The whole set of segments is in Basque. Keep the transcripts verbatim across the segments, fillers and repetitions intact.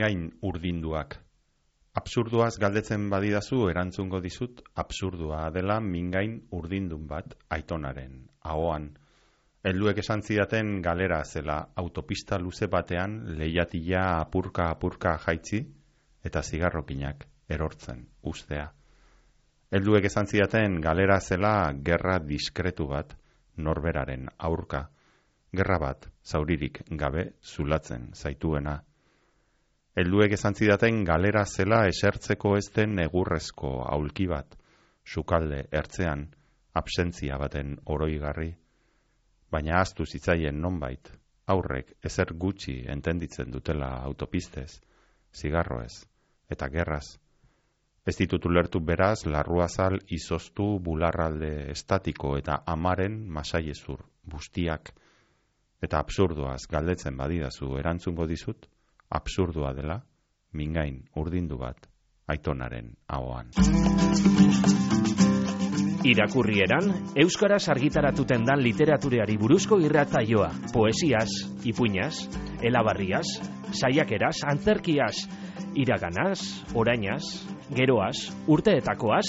mingain urdinduak. Absurduaz galdetzen badidazu erantzungo dizut absurdua dela mingain urdindun bat aitonaren ahoan. Helduek esan zidaten galera zela autopista luze batean leihatila apurka-apurka jaitzi eta zigarrokinak erortzen ustea. Helduek esan zidaten galera zela gerra diskretu bat norberaren aurka. Gerra bat zauririk gabe zulatzen zaituena. Helduek esan zidaten galera zela esertzeko ez den egurrezko aulki bat, sukalde ertzean, absentzia baten oroigarri. Baina ahaztu zitzaien nonbait, aurrek ezer gutxi entenditzen dutela autopistez, zigarroez eta gerraz. Ez ditut ulertu beraz larruazal izoztu bularralde estatiko eta amaren masaiezur bustiak. Eta absurduaz galdetzen badidazu erantzungo dizut, absurdua dela mingain urdindu bat aitonaren ahoan. Irakurrieran, euskaraz argitaratuten dan literatureari buruzko irratsaioa, poesiaz, ipuinaz, elabarriaz, saiakeraz, antzerkiaz, iraganaz, orainaz, geroaz, urteetakoaz,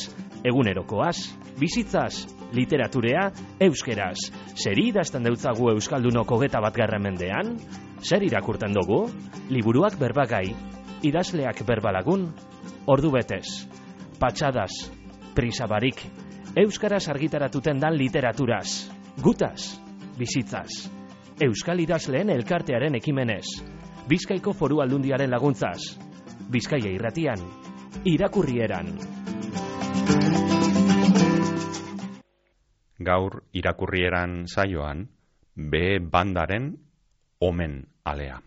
egunerokoaz, bizitzaz, literaturea, euskeraz. Zeri idazten deutzagu euskaldunok hogeta batgarren mendean? Zer irakurten dugu? Liburuak berbagai, idazleak berbalagun, ordu betez, patxadaz, prisabarik, euskaraz argitaratuten dan literaturaz, gutaz, bizitzaz, euskal idazleen elkartearen ekimenez, Bizkaiko Foru Aldundiaren laguntzaz, Bizkaia irratian, irakurrieran. Gaur irakurrieran saioan, B bandaren omen alea.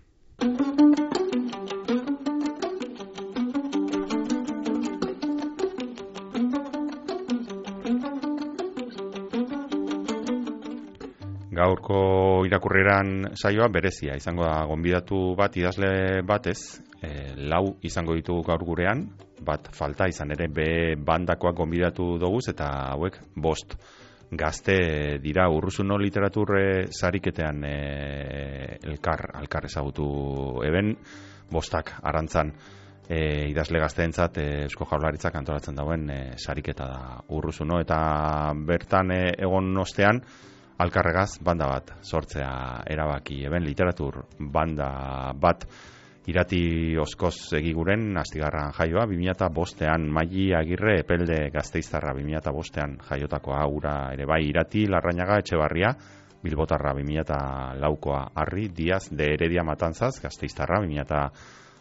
Gaurko irakurrieran saioa berezia izango da, gonbidatu bat idazle batez, e, lau izango ditugu gaur gurean, bat falta izan ere B bandakoak gonbidatu doguz eta hauek bost gazte dira Urruzuno literaturre sariketean e, elkar, elkar ezagutu eben, bostak arantzan e, idazle gazteentzat e, Eusko Jaurlaritzak antolatzen dauen e, sariketa da Urruzuno, eta bertan e, egon ostean alkarregaz banda bat sortzea erabaki eben, literatur banda bat irati oskoz egiguren astigarran jaioa, bi mila bostean Maili Agirre Epelde Gasteiztarra bi mila bostean jaiotakoa, ura ere bai irati Larrañaga Etxebarria Bilbotarra bi mila laukoa Arri Diaz de Heredia Matanzaz Gasteiztarra bi mila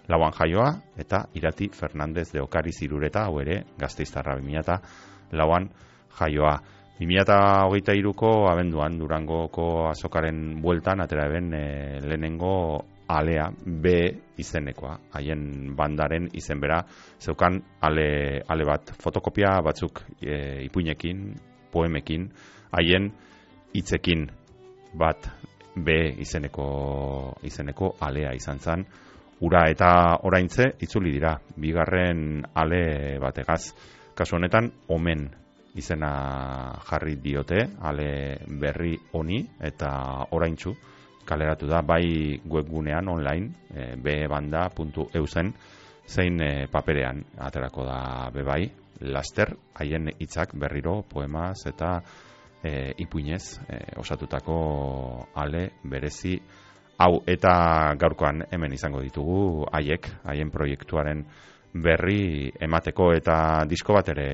lauan jaioa, eta irati Fernandez de Okariz Irureta hau ere Gasteiztarra bi mila lauan jaioa. bi mila hogeita hiruko abenduan Durangoko azokaren bueltan atera eben e, lehenengo alea B izenekoa, haien bandaren izen bera zeukan ale, ale bat, fotokopia batzuk e, ipuinekin, poemekin, haien hitzekin bat B izeneko, izeneko alea izan zen, ura eta oraintze itzuli dira, bigarren ale bategaz, kasu honetan omen izena jarri diote ale berri honi eta oraintsu kaleratu da bai webgunean online e, bebanda puntu eu zen zein e, paperean aterako da bebai laster haien hitzak berriro poemaz eta e, ipuinez e, osatutako ale berezi hau, eta gaurkoan hemen izango ditugu haiek, haien proiektuaren berri emateko, eta disko bat ere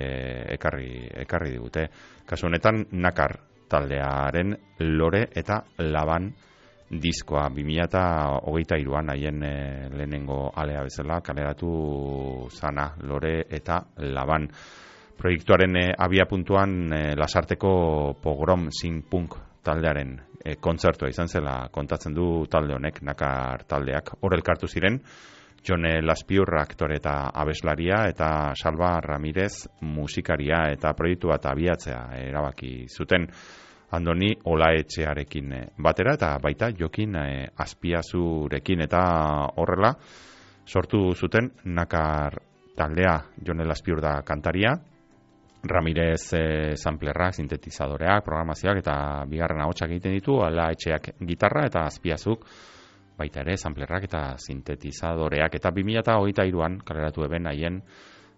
ekarri, ekarri digute. Kasu honetan Nakar taldearen Lore eta Laban diskoa bi mila hogeita hiruan haien e, lehenengo alea bezala kaleratu zana Lore eta Laban. Proiektuaren e, abia puntuan e, Lasarteko Pogrom Sinpunk taldearen e, kontzertua izan zela kontatzen du talde honek, Nakar taldeak. Hor elkartu ziren Jone Laspiur aktore eta abeslaria eta Salva Ramirez musikaria, eta proiektu bat abiatzea erabaki zuten Andoni Olaetxearekin batera eta baita Jokin e, Azpiazurekin, eta horrela sortu zuten Nakar taldea. Jone Laspiur da kantaria, Ramirez e, samplerrak, sintetizadoreak, programazioak eta bigarren ahotsak egiten ditu, Olaetxeak gitarra eta Azpiazuk baita ere, samplerrak eta sintetizadoreak, eta bi mila hogeita hiruan kaleratu eben haien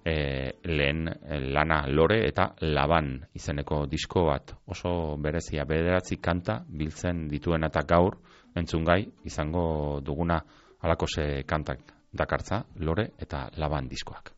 e, lehen lana Lore eta Laban izeneko disko bat, oso berezia, bederatzi kanta biltzen dituen, eta gaur entzungai izango duguna alakose kantak dakartza Lore eta Laban diskoak.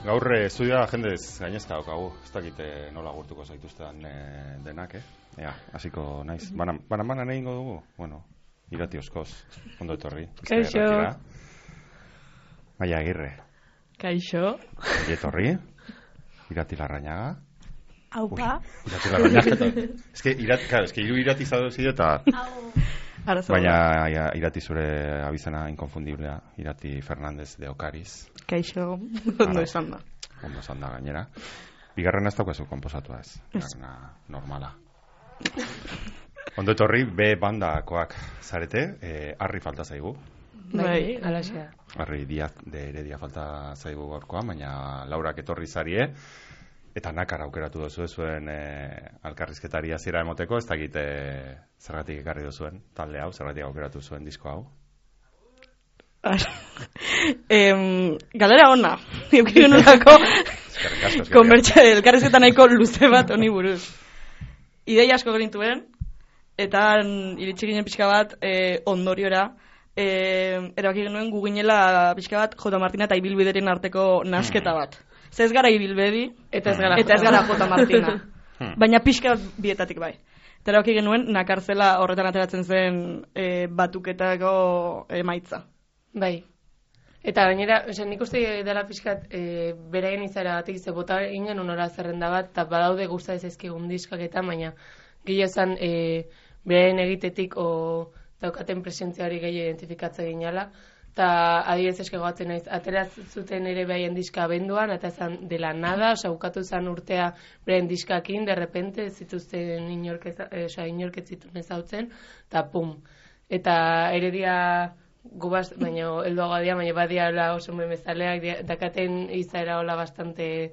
Gaur estudioa jendez gainezka daukagu, ez dakite nola gurtuko zaituztean e, denak, eh? Ea, hasiko naiz. Banan, banan, banan egingo dugu? Bueno, irati oskoz, ondo etorri. Kaixo. Maia Agirre. Kaixo. Ongi etorri. Irati Larrañaga. Aupa. Uy, Irati Larrañaga. Es que irati, claro, es que hiru irati zado zido eta... Baina ja, irati zure abizena inkonfundiblea, Irati Fernández de Ocariz. Kaixo, ondo esan da. Ondo esan da gainera. Bigarrena ez daukazu konposatua ez, bigarrena normala. Ondo etorri, B bandakoak zarete, eh, Arri falta zaigu. Bai, alaxea. Arri Diaz de Heredia falta zaigu gaurkoa, baina Laurak etorri zarie, eta nakar aukeratu duzu zuen eh, alkarrizketari hasiera emoteko, ez dakit eh, zergatik ekarri duzuen talde hau, zergatik aukeratu zuen disko hau. em, galera ona, eukiru nolako konbertsa elkarrizketa nahiko luze bat honi buruz. Ideia asko genituen, eta iritsi ginen pixka bat eh, ondoriora, eh, erabaki genuen guginela pixka bat J. Martina eta Ibilbideren arteko nasketa bat. Ze ez gara Ibilbedi, eta ez gara, eta ez gara J. Martina. Baina pixka bietatik bai. Eta erabaki genuen nakartzela horretan ateratzen zen e, batuketako emaitza. Bai. Eta gainera, ose, nik uste dela pixkat e, beraien izara batik ze bota ingen unora zerrenda bat, eta badaude gusta ez ezkigun diskak eta, baina gehiago e, beraien egitetik o daukaten presentziari gehiago identifikatzen ginala. Eta adibidez eske gogatzen naiz, atera zuten ere beraien diska abenduan, eta zan dela nada, oza, bukatu zan urtea beraien diskakin, de repente ez zituzten inorket zituen ezautzen, eta pum. Eta Heredia gubaz, baina helduagoa dia, baina badia oso memezaleak, dakaten izaera hola bastante...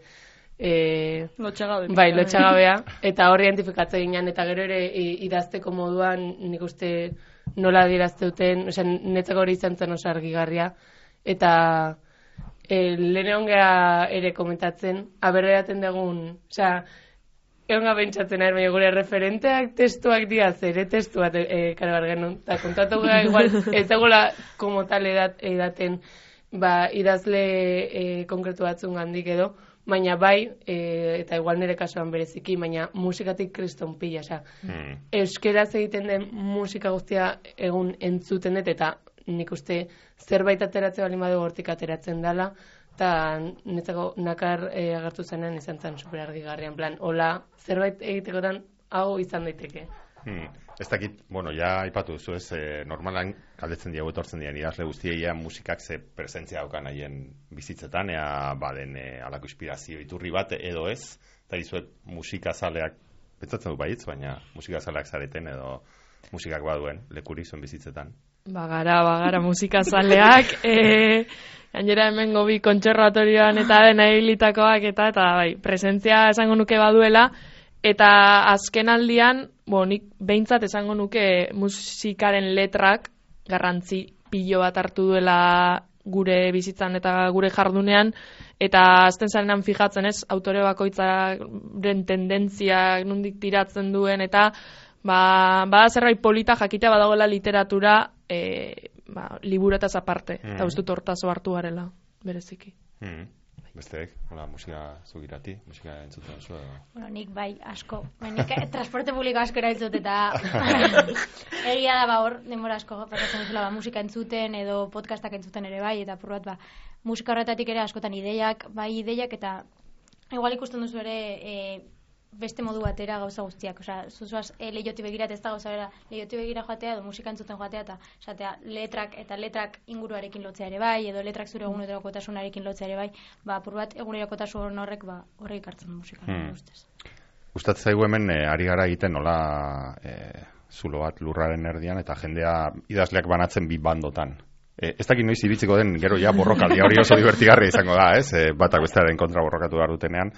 E, lotxagabe. Bai, lotxagabea, eta hor identifikatzen ginen, eta gero ere idazteko moduan nik uste nola dirazteuten, osea, netzako hori izan zen oso argigarria, eta e, lehen egon geha ere komentatzen, aberreraten dugun, osea, egon geha bentsatzen ari, baina gure referenteak testuak diaz, ere testu bat e, kargar genuen, eta kontatu geha igual, ez dagoela como tal edat, edaten, ba, idazle e, konkretu batzun gandik edo, baina bai, e, eta igual nire kasuan bereziki, baina musikatik kriston pila, oza. Mm. Euskeraz egiten den musika guztia egun entzuten dut, eta nik uste zerbait ateratzen bali badu hortik ateratzen dela, eta netzako nakar e, agertu zenean izan zen superargigarrian, plan, hola, zerbait egitekotan hau izan daiteke. Hmm. Ez dakit, bueno, ja aipatu duzu ez, eh, normalan galdetzen diago etortzen dian idazle guztiei musikak ze presentzia daukan haien bizitzetan, ea baden e, alako inspirazio iturri bat edo ez, eta dizuet musikazaleak, pentsatzen du baitz, baina musikazaleak zareten edo musikak baduen lekurik zuen bizitzetan. Bagara, bagara musikazaleak, e, gainera hemen gobi kontserbatorioan eta dena hilitakoak eta, eta bai, presentzia esango nuke baduela, eta azken aldian, bo, nik behintzat esango nuke musikaren letrak garrantzi pilo bat hartu duela gure bizitzan eta gure jardunean, eta azten zarenan fijatzen ez, autore bakoitzaren tendentzia nondik tiratzen duen, eta ba, bada zerbait polita jakitea badagoela literatura e, ba, liburetaz aparte, mm. eta uste dut hortazo hartu garela, bereziki. Mm. Besteek, hola, musika zugirati, musika entzuten zu edo? Bueno, nik bai, asko. Bueno, nik transporte publiko asko erabiltzut eta egia da ba hor, denbora asko pasatzen duzula ba, musika entzuten edo podcastak entzuten ere bai, eta purbat ba, musika horretatik ere askotan ideiak, bai ideiak eta igual ikusten duzu ere e, beste modu batera gauza guztiak, osea, zuzuaz e, lehioti begirat ez da gauza bera, lehioti begira joatea edo musika entzuten joatea eta esatea letrak eta letrak inguruarekin lotzea ere bai, edo letrak zure egunerokotasunarekin lotzea ere bai, ba, apur bat egunerokotasun horrek ba, horrek hartzen du musika, hmm. ustez. Gustatzen zaigu hemen e, ari gara egiten nola e, zulo bat lurraren erdian eta jendea idazleak banatzen bi bandotan. E, ez dakit noiz ibitziko den gero ja borrokaldia hori oso divertigarria izango da, ez? E, batak bestearen kontra borrokatu behar dutenean.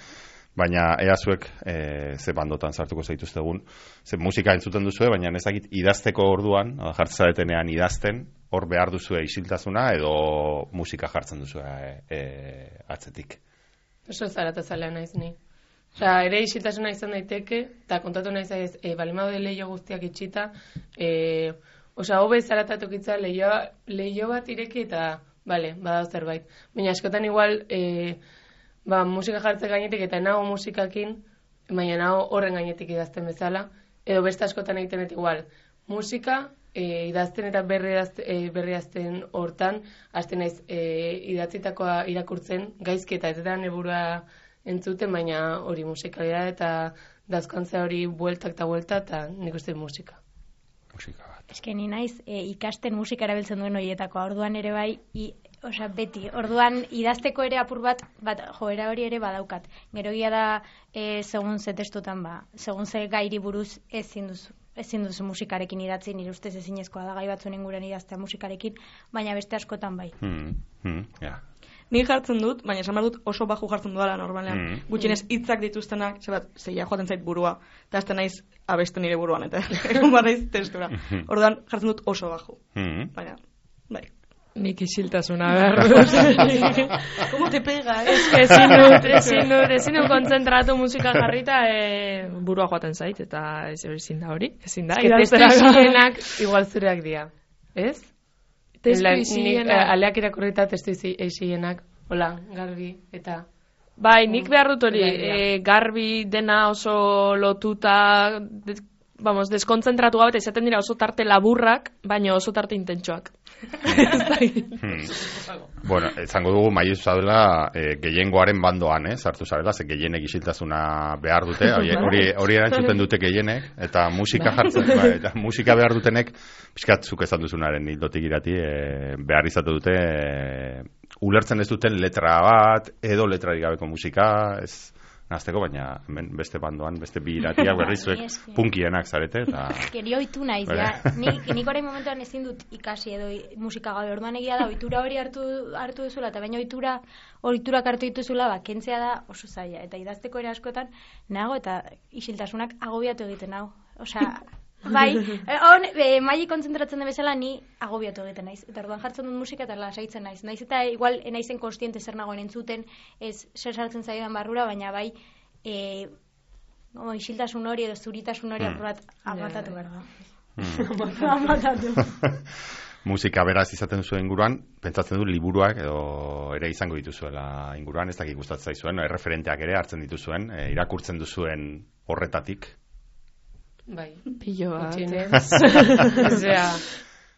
Baina ea zuek e, ze bandotan sartuko zaituztegun, ze musika entzuten duzue, baina ez dakit idazteko orduan, jartzaretenean idazten, hor behar duzue isiltasuna edo musika jartzen duzue e, e, atzetik. Oso zaratazalea naiz ni. Osea, ere isiltasuna izan daiteke, eta kontatu naiz ez, e, balimado de leio guztiak itxita, e, osea, hobe zaratatukitza leio, leio bat ireki eta, bale, badao zerbait. Baina askotan igual, e, ba, musika jartze gainetik eta nago musikakin, baina nago horren gainetik idazten bezala, edo beste askotan egiten dut igual. Musika, e, idazten eta berri idazten, e, berri idazten hortan, hasten naiz e, idatzitakoa irakurtzen, gaizki eta ez da neburua entzuten, baina hori musikalia eta dazkantzea hori bueltak eta buelta eta nik uste musika. Musika bat. Ez que ni naiz e, ikasten musika erabiltzen duen horietakoa, orduan ere bai, i, osea, beti, orduan idazteko ere apur bat, bat joera hori ere badaukat. Gero gia da, e, segun ze testutan ba, segun ze gairi buruz ezin duzu, ezin duzu musikarekin idatzi, nire ustez ezinezkoa da gai batzuen inguruan idaztea musikarekin, baina beste askotan bai. Hmm, hmm, yeah. Ni jartzen dut, baina esan behar dut oso baju jartzen dudala normalean. Mm. Gutxienez hitzak dituztenak, zebat, zeia joaten zait burua, eta azten naiz abesten nire buruan, eta egun bat naiz testura. Orduan jartzen dut oso baju. Mm. Baina, bai. Nik isiltasuna behar dut. Como te pega, eh? Ezin dut, ezin dut, ezin dut konzentratu musika jarrita, e, burua joaten zait, eta ez ezin da hori, ezin da. Testu isienak igual zureak dira, ez? Testu isienak. Aleak irakurrita testu isienak, hola, garbi, eta... Bai, nik behar dut hori, e, garbi dena oso lotuta, de, vamos, deskonzentratu gabe, izaten dira oso tarte laburrak, baina oso tarte intentsoak. hmm. Bueno, izango dugu maiz zadela e, gehiengoaren bandoan, eh, sartu zarela, ze gehienek isiltasuna behar dute, hori hori erantzuten dute gehienek, eta musika jartzen, bai, eta musika behar dutenek, pixkatzuk esan duzunaren hildotik irati, e, behar izate dute, e, ulertzen ez duten letra bat, edo letrarik gabeko musika, ez nazteko, baina hemen beste bandoan, beste bi iratiak berrizuek punkienak zarete. Eta... Geri oitu naiz, ja. Nik, nik orain momentuan ezin dut ikasi edo musika gabe, orduan egia da, oitura hori hartu, hartu duzula, eta baina oitura, oiturak hartu dituzula, ba, kentzea da oso zaila, eta idazteko ere askotan, nago, eta isiltasunak agobiatu egiten nago. Osea, bai, on, e, maili kontzentratzen den bezala ni agobiatu egiten naiz. Eta orduan jartzen dut musika eta lasaitzen naiz. Naiz eta igual naizen kontziente zer nagoen entzuten, ez zer sartzen zaidan barrura, baina bai e, no, isiltasun hori edo zuritasun hori mm. apurat amatatu behar da. Mm. amatatu. Musika beraz izaten zuen inguruan, pentsatzen du liburuak edo ere izango dituzuela inguruan, ez dakik gustatzen zaizuen, erreferenteak ere hartzen dituzuen, e, irakurtzen duzuen horretatik. Bai, pillo bat. Osea,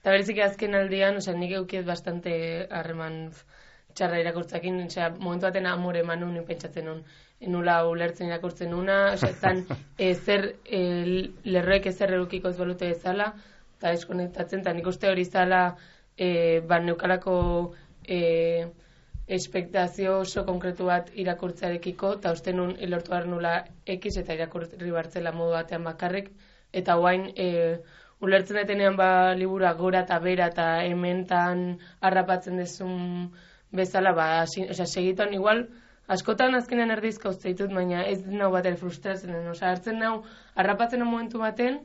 Eta bereziki azken aldian, osea, nik eukiet bastante harreman txarra irakurtzakin, osea, momentu baten amore eman nun, pentsatzen nun, enula ulertzen irakurtzen nuna, osea, etan ezer, e, lerroek ezer erukiko ez balute bezala, eta deskonektatzen, eta nik uste hori zala, e, ba, neukalako e, espektazio oso konkretu bat irakurtzarekiko, eta uste nun lortu behar nula X eta irakurri bartzela modu batean bakarrik, eta guain e, ulertzen detenean ba libura gora eta bera eta hementan harrapatzen dezun bezala, ba, si, osea, segituan igual, askotan azkenean erdizka uste ditut, baina ez nau bat frustratzen den, osea, hartzen nau, harrapatzen momentu baten,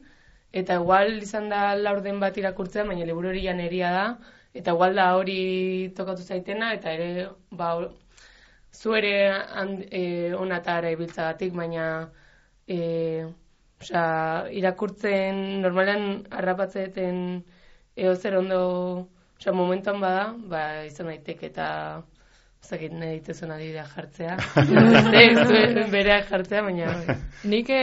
eta igual izan da laurden bat irakurtzea, baina liburu hori janeria da, eta igual da hori tokatu zaitena, eta ere, ba, zu ere e, onatara ibiltzagatik, baina e, osea, irakurtzen, normalean harrapatzeten eozer ondo, osea, momentuan bada, ba, izan daitek eta zakit nahi dituzun adibidea jartzea. Ez, bereak jartzea, baina... Nik e,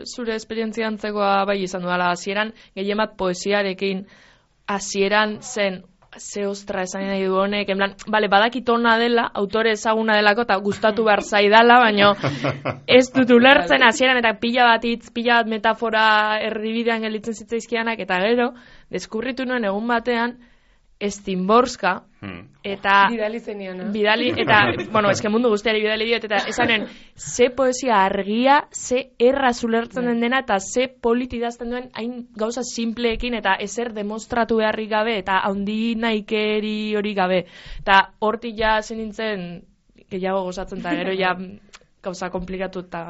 zure esperientzia antzekoa bai izan duela, hasieran gehien bat poesiarekin hasieran zen ze ostra esan nahi du honek, en plan, bale, badakit ona dela, autore ezaguna delako, eta gustatu behar zaidala, baina ez dut ulertzen hasieran eta pila bat hitz, pila bat metafora erdibidean gelditzen zitzaizkianak, eta gero, deskurritu nuen egun batean, Estimborska, hmm. eta... Bidali zenian, no? Bidali, eta, bueno, eske mundu guztiari bidali diot, eta esanen, ze poesia argia, ze erra zulertzen den dena, eta ze politi idazten duen, hain gauza simpleekin, eta ezer demostratu beharrik gabe, eta handi naikeri hori gabe. Eta hortik ja zen nintzen, gehiago gozatzen, eta gero ja gauza komplikatu eta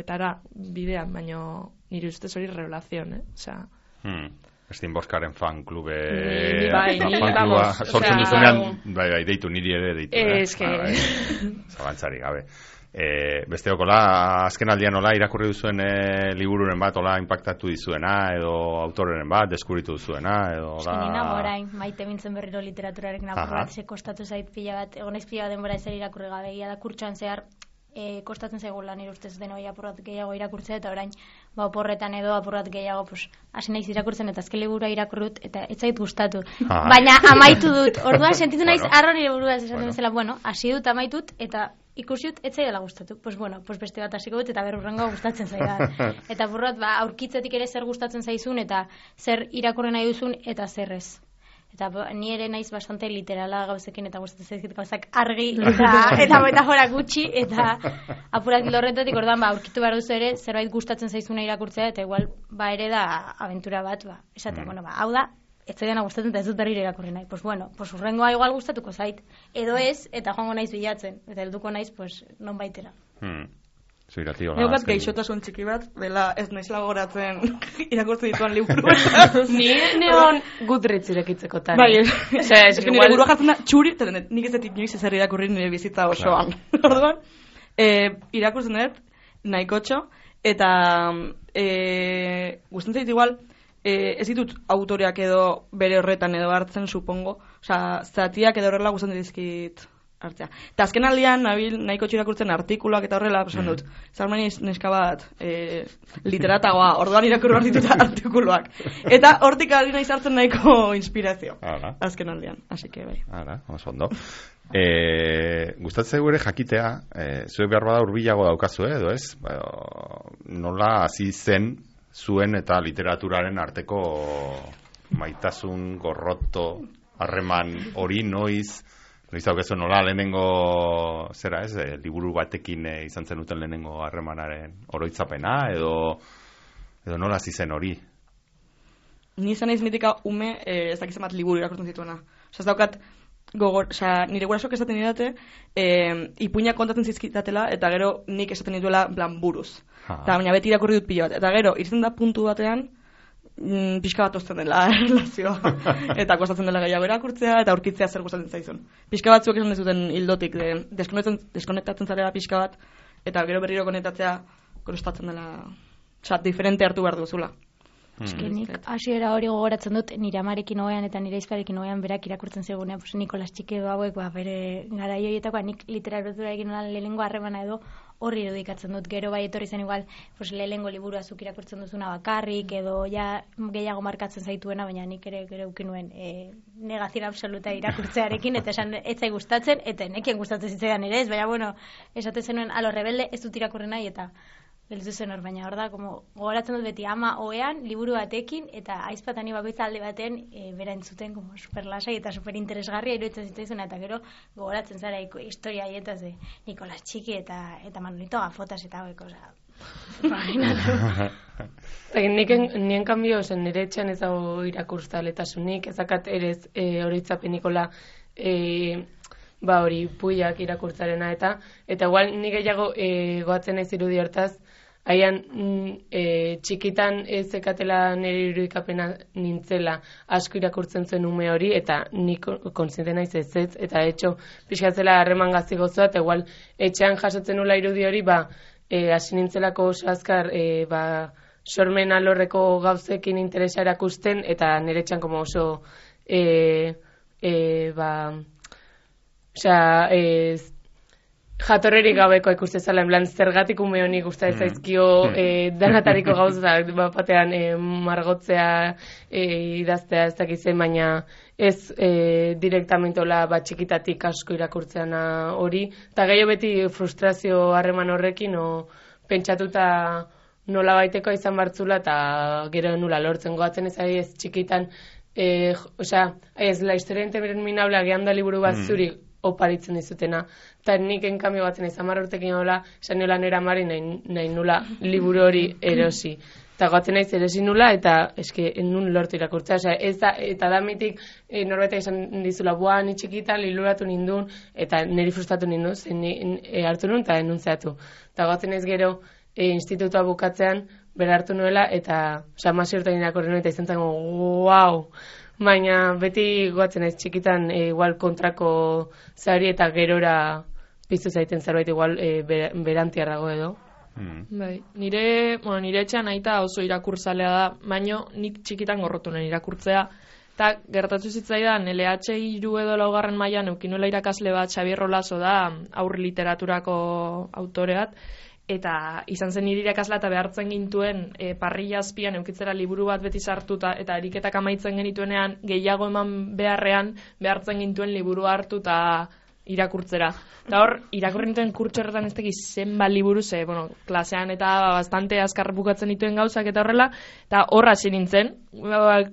etara bidean, baina nire ustez hori revelazion, eh? Osea... Hmm. Estinboskaren fan klube... Bai, ni, vamos. Sortzen duzunean, bai, bai, deitu, niri ere deitu. Ez que... Zabantzari gabe. E, besteokola, azken aldian nola irakurri duzuen e, libururen bat, ola impactatu dizuena, edo autoreren bat, deskubritu duzuena, edo... Eske nina orain, maite mintzen berriro literaturarek napur bat, ze kostatu zait pila bat, egonez pila bat denbora ezer irakurri gabe, ia da kurtsoan zehar, E, kostatzen zaigula nire ustez denoi apurrat gehiago irakurtzea, eta orain ba, oporretan edo apurrat gehiago pues, hasi naiz irakurtzen, eta azken liburua irakurrut, eta ez zait gustatu. Ah. Baina amaitu dut, orduan sentitu naiz bueno. Arro nire burua esaten bueno. Bezala, bueno, hasi dut amaitut, eta ikusiut ez zaidala gustatu. Pues bueno, pues beste bat hasiko dut, eta berrurrengo gustatzen zaidan. Eta apurrat, ba, aurkitzetik ere zer gustatzen zaizun, eta zer irakurri nahi duzun, eta zer ez. Eta ni ere naiz bastante literala gauzekin, eta gustatzen zaizkit gauzak argi eta, eta metafora gutxi, eta apurat horretatik orduan ba, aurkitu behar duzu ere, zerbait gustatzen zaizuna irakurtzea, eta igual ba ere da aventura bat, ba, esatea, mm. bueno, ba, hau da, ez zaidana gustatzen eta ez dut berriro irakurri nahi. Pues bueno, pues urrengoa igual gustatuko zait, edo ez, eta joango naiz bilatzen, eta helduko naiz, pues, non baitera. Hmm. Zuiratio, Neu bat geixotasun txiki bat, dela ez naizela gogoratzen irakurtzen dituan liburu. Ni neon Goodreads irekitzeko tan. Bai, ez nire burua jartzen da txuri, eta nik ez dut inoiz ezer irakurri nire bizitza osoan. Orduan, irakurtzen dut, nahikotxo, eta gustatzen zait igual, ez ditut autoreak edo bere horretan edo hartzen, supongo, osea, zatiak edo horrela gustatzen dizkit hartzea. Eta azken aldian, nabil nahiko txirakurtzen artikuluak eta horrela, esan dut, zarmaniz neska bat e, literatagoa, orduan irakurri behar ditut artikuluak. Eta hortik ari nahi zartzen nahiko inspirazio. Ara. Azken aldian, así que bai. Ara, oso ondo. E, gustatzen ere jakitea, e, zuek behar bada urbilago daukazu, edo ez? Ba, nola hasi zen zuen eta literaturaren arteko maitasun, gorroto, harreman hori noiz, noiz daukazu nola lehenengo, zera ez, e, liburu batekin e, izan zenuten lehenengo harremanaren oroitzapena, edo, edo nola hasi zen hori? Ni izan naiz mitika ume, e, ez dakiz bat liburu irakurtzen zituena. Osa ez daukat, gogor, osa, nire gurasok esaten didate, e, ipuinak kontatzen zizkitatela, eta gero nik esaten dituela plan buruz. Eta baina beti irakurri dut pilo bat. Eta gero, irtzen da puntu batean, mm, pixka bat ozten dela relazioa. Eta kostatzen dela gehiago irakurtzea, eta aurkitzea zer gustatzen zaizun. Pixka batzuek esan dezuten hildotik, de, deskonektatzen zarela pixka bat, eta gero berriro konektatzea kostatzen dela, oza, diferente hartu behar duzula. Eske nik hasiera hori gogoratzen dut nire amarekin oean eta nire aizparekin oean berak irakurtzen zegunean, pues Nikolas Txike hauek ba bere garai horietakoa nik literaturarekin lehenengo harremana edo horri irudikatzen dut, gero bai etorri zen igual, pues, lehengo liburu azuk irakurtzen duzuna bakarrik, edo ja gehiago markatzen zaituena, baina nik ere gero ukinuen e, negazion absoluta irakurtzearekin, eta esan etzai gustatzen, eta nekien gustatzen zitzaidan ere ez, baina bueno, esaten zenuen, alo rebelde ez dut irakurri nahi, eta gelditu zen hor, baina hor da, como, gogoratzen dut beti ama oean, liburu batekin, eta aizpatani bakoitza alde baten e, bera entzuten, como, super lasai eta super interesgarria iruditzen zitzaizuna, eta gero gogoratzen zara historia hietaz de Nikolas Txiki eta eta Manolito Gafotas eta hauek, oza, Nik nien kanbio zen nire etxean ez dago irakurtzaletasunik, ezakat ere e, horitzapenikola e, ba hori puiak irakurtzarena eta eta igual nik gehiago e, goatzen naiz irudi hortaz, haian e, txikitan ez zekatela nire irudikapena nintzela asko irakurtzen zuen ume hori, eta nik kontziente naiz ez ez, eta etxo pixkatzela harreman gazi gozoa, eta igual etxean jasotzen nula irudi hori, ba E, hasi nintzelako oso azkar e, ba, sormen alorreko gauzekin interesa erakusten, eta nire txan como oso e, e, ba, osea, e, jatorrerik gabeko ikuste zala, en plan, zergatik ume honi gustatzen zaizkio e, danatariko gauza, bat batean e, margotzea, e, idaztea ez dakitzen, baina ez e, direktamentola bat txikitatik asko irakurtzeana hori, eta gehiago beti frustrazio harreman horrekin, o pentsatuta nola baiteko izan bartzula, eta gero nula lortzen goatzen ez ari ez txikitan, e, osea, ez la historia interminabla gehan da liburu bat zuri oparitzen dizutena, eta nik enkambio batzen izan marra urtekin hola, esan niola nera mari nahi, nahi nula liburu hori erosi. Eta goatzen naiz erosi nula, eta eske nun lortu irakurtzea. Osea, ez da, eta damitik e, norbait izan dizula, boa, ni txikitan, liluratu nindun, eta niri frustratu nindun, zen ni, e, hartu nun, eta denuntzeatu. Eta goatzen naiz gero, e, institutua bukatzean, bera hartu nuela, eta, osea, masi urtean irakurri nuen, eta izan zen, wow! Baina beti goatzen naiz txikitan, e, igual kontrako zari, eta gerora piztu zaiten zerbait, igual e, ber, berantiarrago edo. Mm. Bai, nire, bueno, nire etxean aita oso irakurtzalea da, baino nik txikitan gorrotu nuen irakurtzea, eta gertatu zitzaidan L H hiru edo laugarren mailan eukinuela irakasle bat, Xabier Rolaso da, aur literaturako autoreat, eta izan zen nire irakasla eta behartzen gintuen e, parrilla azpian eukitzera liburu bat beti sartuta, eta eriketak amaitzen genituenean gehiago eman beharrean behartzen gintuen liburu hartu eta irakurtzera. Eta hor, irakurri nituen kurtso horretan ez tekiz zenba liburu, ze, bueno, klasean eta bastante azkar bukatzen dituen gauzak eta horrela, eta horra hasi nintzen,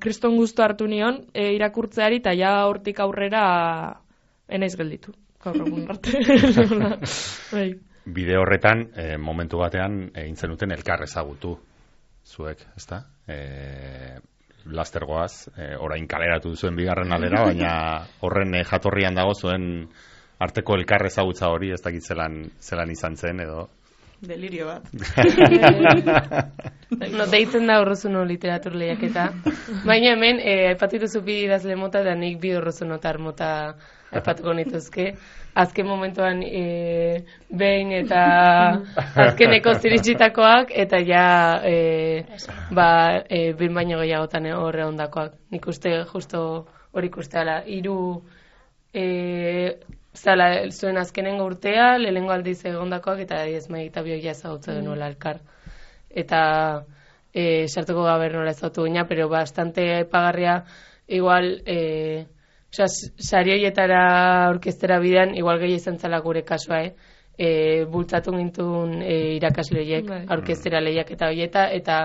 kriston gustu hartu nion e, irakurtzeari, eta ja hortik aurrera enaiz gelditu. Gaur egun arte. Bide horretan, e, momentu batean, egin zenuten elkar ezagutu zuek, ezta? E, lastergoaz, e, orain kaleratu zuen bigarren aldera, baina horren e, jatorrian dago zuen arteko elkar ezagutza hori, ez dakit zelan, zelan izan zen, edo... Delirio bat. No, deitzen da Urruzuno literatur lehiaketa. Baina hemen, eh, aipatitu zupi idazle mota, da nik bi Urruzunotar mota aipatuko nituzke. Azken momentuan e, behin eta azkeneko ziritsitakoak, eta ja e, ba, e, bin baino gehiagotan horre ondakoak. Nik uste justo hori ikusteala. Hiru e, zala zuen azkenengo urtea, lehenengo aldiz egondakoak, eta ez maigita bioia ezagutza genuela elkar. Eta e, sartuko gaber nola ezagutu gina, pero bastante epagarria, igual... E, Osa, sari horietara orkestera bidean, igual gehi izan zala gure kasua, eh? E, bultzatu gintun e, irakasle horiek, orkestera lehiak eta horieta, eta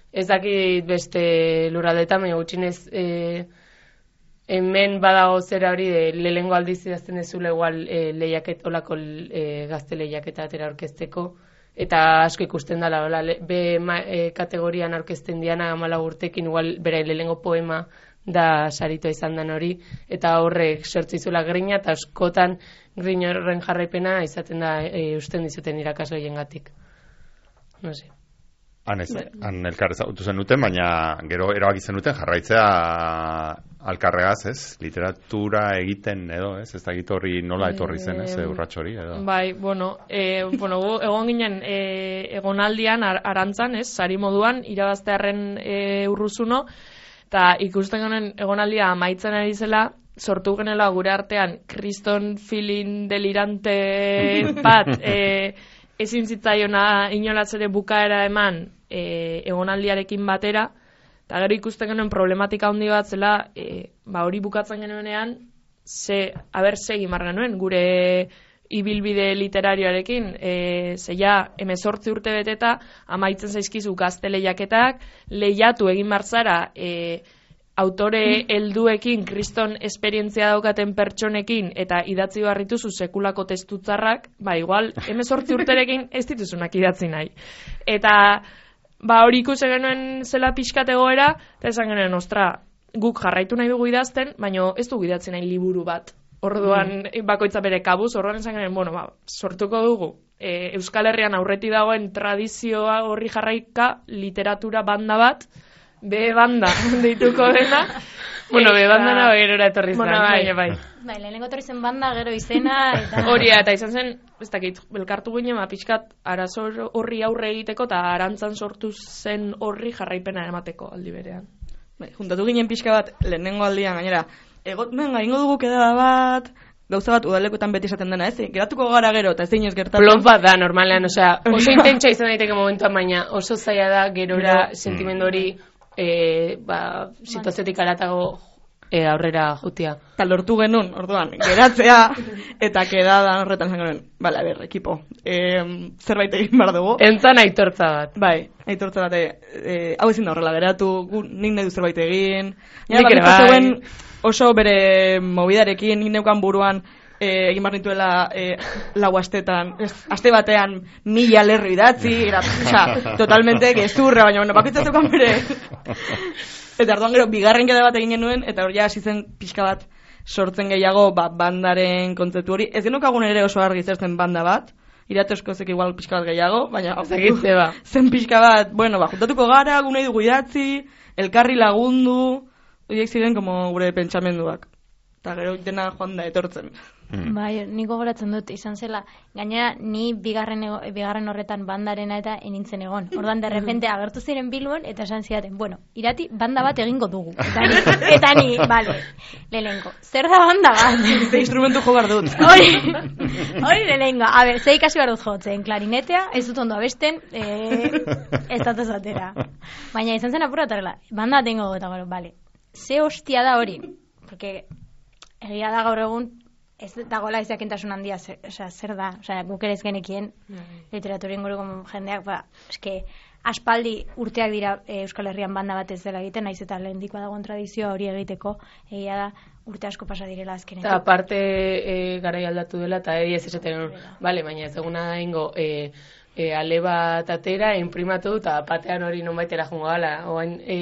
ez dakit beste lurraldetan, baina gutxinez e, hemen badago zera hori, e, lehengo aldiz idazten dezula igual e, lehiaket, olako e, gazte lehiaketa atera orkesteko, eta asko ikusten dela, hola, be ma, e, kategorian orkesten diana amala urtekin, igual bera lehengo poema, da sarito izan den hori, eta horrek sortzizula grina, eta askotan grin horren jarraipena izaten da e, usten dizuten irakasle horiengatik. No sé. Han, ez, han elkar ezagutu zenuten, baina gero erabaki zenuten jarraitzea alkarregaz, ez? Literatura egiten edo, ez? Ez da egit horri nola etorri zen, ez? Urratxo hori, edo? Bai, bueno, e, bueno egon ginen e, egonaldian ar, arantzan, ez? Sari moduan, irabaztearen e, Urruzuno, eta ikusten genen egonaldia amaitzen ari zela, sortu genela gure artean kriston feeling delirante bat e, ezin zitzaiona inolaz ere bukaera eman e, egonaldiarekin batera, eta gero ikusten genuen problematika handi bat zela, e, ba hori bukatzen genuenean, ze, haber segi mar genuen, gure ibilbide literarioarekin, e, ze ja, hemezortzi urte beteta, amaitzen zaizkizu gazte lehiaketak, lehiatu egin barzara, e, autore helduekin, kriston esperientzia daukaten pertsonekin, eta idatzi barrituzu sekulako testutzarrak, ba, igual, hemezortzi urterekin ez dituzunak idatzi nahi. Eta, ba, hori ikusi genuen zela pixkat egoera, eta esan genuen, ostra, guk jarraitu nahi dugu idazten, baina ez dugu idatzi nahi liburu bat. Orduan, mm. bakoitza bere kabuz, orduan esan genuen, bueno, ba, sortuko dugu. E, Euskal Herrian aurreti dagoen tradizioa horri jarraika literatura banda bat, B banda deituko dena. Bueno, B banda nago gerora etorri zen. Bueno, bai, bai. Bai, lehenengo etorri zen banda, gero izena, eta... Hori, eta izan zen, ez dakit, belkartu ginen, ma pixkat arazo horri aurre egiteko, eta arantzan sortu zen horri jarraipena emateko aldi berean. Bai, juntatu ginen pixka bat, lehenengo aldian, gainera, egot, menga, ingo dugu kedada bat, gauza bat udalekoetan beti esaten dena, ez? Geratuko gara gero, eta ez dinez gertatu. Plot bat da, normalean, osea, oso intentsa izan daiteke momentuan, baina oso zaila da, gerora sentimendu hori, E, ba, situaziotik aratago e, aurrera jutia. Eta lortu genuen, orduan, geratzea, eta kedadan horretan zen genuen, bale, a ber, ekipo, e, zerbait egin behar dugu. Entzan aitortza bat. Bai, aitortza bat, e, hau ezin da horrela geratu, gu, nik nahi du zerbait egin. Nik ere bai. Oso bere mobidarekin, nik neukan buruan, E, egin behar nintuela e, lau astetan, ez, aste batean mila lerro idatzi, era, oza, totalmente gezurra, baina bueno, bakitza zeukan bere. Eta arduan gero, bigarren keda bat egin genuen, eta hori hasi zen pixka bat sortzen gehiago ba, bandaren kontzeptu hori. Ez genukagun ere oso argi zer zen banda bat, iratozko zek igual pixka bat gehiago, baina Zagitze, ba. zen pixka bat, bueno, ba, juntatuko gara, gunei dugu idatzi, elkarri lagundu, horiek ziren como gure pentsamenduak. Eta gero dena joan da etortzen. Mm. Bai, niko goratzen dut, izan zela, gainera ni bigarren, ego, bigarren horretan bandarena eta enintzen egon. Ordan de repente agertu ziren Bilbon eta esan zidaten, bueno, irati banda bat egingo dugu. Eta ni, eta ni, bale, lehenengo, zer da banda bat? Ze instrumentu jo behar dut. Hori, hori lehenengo. A ber, ze ikasi behar dut jotzen, klarinetea, ez dut ondo abesten, e, ez dut ezatera. Baina izan zen apura tarela, banda bat egingo dugu eta gero, bale, ze hostia da hori, porque egia da gaur egun, ez dagoela izakentasun handia, zer, oza, zer da, oza, guk ere ez genekien literaturien guruko jendeak, ba, eske, aspaldi urteak dira e, Euskal Herrian banda bat ez dela egiten, naiz eta lehendikoa dagoen tradizioa hori egiteko, egia da urte asko pasa direla azkenean. Eta aparte e, garai aldatu dela, eta eri ez esaten, bale, baina ez duguna da ingo, e, e, ale bat atera, imprimatu, eta batean hori non baitera jungo gala, oain e,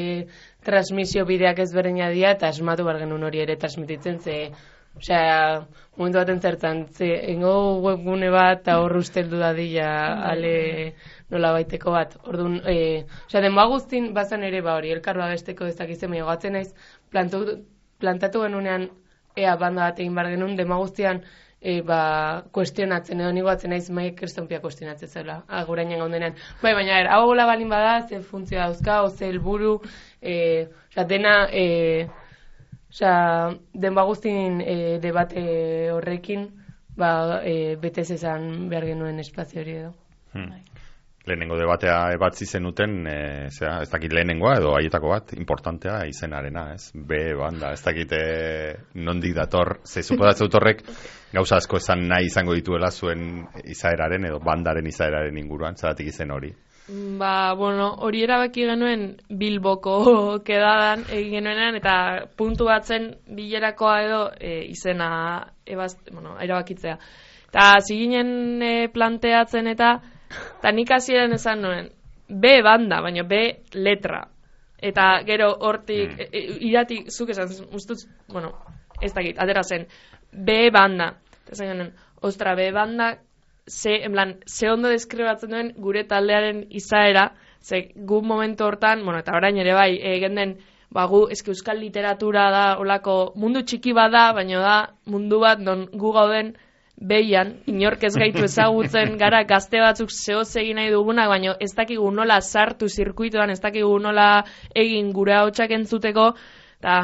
transmisio bideak ez berdina dira, eta asmatu bar genuen hori ere transmititzen, ze, osea, momentu baten zertan, ze, ingo webgune bat, eta hor usteldu dadila, ale nola baiteko bat. Orduan, e, osea, denboa guztin, bazan ere, ba hori, elkarroa besteko ez dakizen, baina gatzen naiz, plantu, plantatu genunean, ea banda bat egin bar genuen, denboa guztian, e, ba, kuestionatzen, edo nigo atzen naiz, maik kristonpia kuestionatzen zela, agurainen gaundenean. Bai, baina, er, hau gola balin bada, ze funtzioa dauzka, oze helburu, e, osea, dena, e, osea, denba guztin e, debate horrekin, ba, e, betez esan behar genuen espazio hori edo. Hmm. Lehenengo debatea ebatzi zenuten, e, zera, ez dakit lehenengoa edo haietako bat, importantea izenarena, ez? B, banda, ez dakit e, nondik dator, ze suposatzen dut horrek gauza asko esan nahi izango dituela zuen izaeraren edo bandaren izaeraren inguruan, zeratik izen hori. Ba, bueno, hori erabaki genuen Bilboko kedadan egin genuenean, eta puntu batzen bilerakoa edo e, izena ebaz, bueno, erabakitzea. Eta ziginen e, planteatzen eta eta nik hasieran esan nuen B banda, baina B letra. Eta gero hortik, mm. e, iratik, zuk esan, ustuz, bueno, ez dakit, atera zen, B banda. Eta zen genuen, ostra, B banda, ze, en plan, ze ondo deskribatzen duen gure taldearen izaera, ze gu momentu hortan, bueno, eta orain ere bai, egen den, ba, gu, eski euskal literatura da, olako, mundu txiki bada, baina da, mundu bat, non gu gauden, behian, inork ez gaitu ezagutzen gara gazte batzuk zehoz egin nahi dugunak, baina ez dakigu nola sartu zirkuituan, ez dakigu nola egin gure ahotsak entzuteko, eta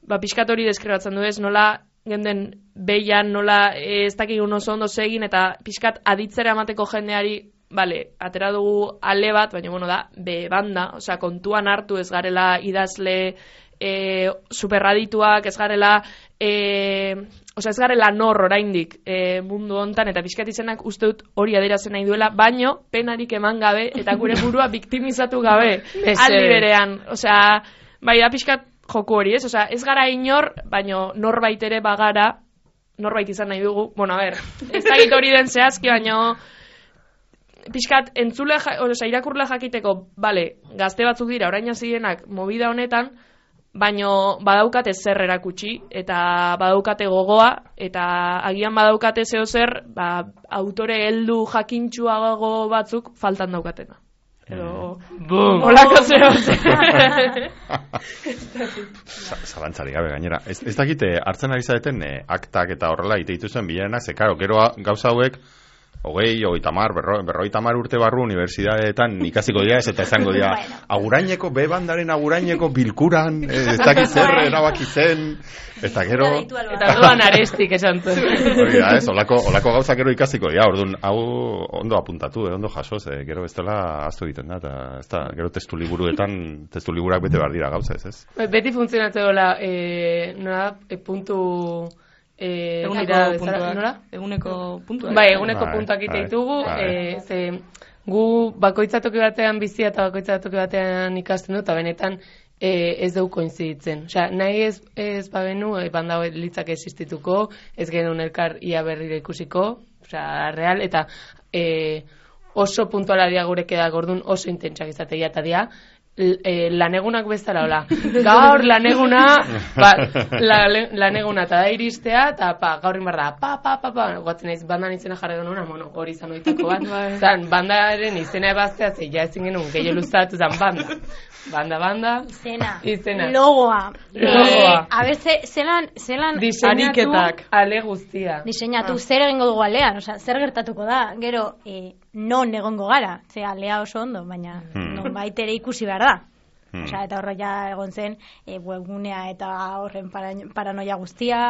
ba, pixkat hori deskribatzen du ez, nola genden behian, nola ez dakigu oso ondo egin, eta pixkat aditzera emateko jendeari bale, atera dugu ale bat, baina, bueno, da, be banda, osea, kontuan hartu ez garela idazle e, superradituak, ez garela, e, osea, ez garela nor oraindik e, mundu hontan, eta pixkat izenak uste dut hori adierazten nahi duela, baino, penarik eman gabe, eta gure burua biktimizatu gabe, aldi berean, osea, bai, da pixkat joku hori, ez? Osea, ez gara inor, baino norbait ere bagara, norbait izan nahi dugu, bueno, a ber, ez dakit hori den zehazki, baino pixkat entzule, osea, irakurle jakiteko, bale, gazte batzuk dira, orain hasienak movida honetan, baino badaukate zer erakutsi, eta badaukate gogoa, eta agian badaukate zeo zer, ba, autore heldu jakintsuago batzuk faltan daukatena. Edo... Bum! Olako zeo zer. Zalantzari gabe gainera. Ez, ez dakite, hartzen ari zaeten eh, aktak eta horrela iteitu zen bilenak, ze karo, gero gauza hauek, hogei, hogei tamar, berro, berroi tamar urte barru unibertsitateetan ikasiko dira ez eta esango dira aguraineko, bebandaren aguraineko bilkuran, ez dakit zer erabaki zen, eta gero... Eta doan arestik esan zuen. Hori da, ez, olako, olako gauza gero ikasiko dira, orduan, hau ondo apuntatu, eh, ondo jaso, ze, gero ez dela aztu egiten da, eta ez da, gero testu liburuetan, testu liburak bete behar dira gauza, ez, ez? Beti funtzionatzen dola, e, nola, e, puntu... Eh, eguneko zera, puntuak, nola? Eguneko puntuak. Bai, eguneko Bai, puntuak ite bai, ditugu, bai. eh, ze gu bakoitzatoki batean bizia eta bakoitzatoki batean ikasten du, eta benetan eh, ez dugu koinziditzen. Osea, nahi ez, ez babenu, e, banda litzak existituko, ez genuen elkar ia berriro ikusiko, osea, real, eta eh, oso puntuala dia gureke da gordun oso intentsak izatea eta dia, E, lanegunak bezala, hola. Gaur laneguna, ba, la, laneguna eta da iristea, eta pa, gaur inbar da, pa, pa, pa, pa, guatzen naiz bandan izena jarri genuen, bueno, hori izan oitako bat. Zan, bandaren izena ebaztea, ze ja ezin genuen gehiago luztatu zan banda. Banda, banda. Izena. Izena. Logoa. Logoa. Eh, a ber, ze, zelan, zelan... Diseinatu ariketak. ale guztia. Diseinatu, zer egingo dugu alean, osea, zer gertatuko da, gero, eh, non egongo gara, ze alea oso ondo, baina Hmm. non baitere ikusi behar da. Hmm. Osea, eta horra ja egon zen, e, webgunea eta horren para, paranoia guztia,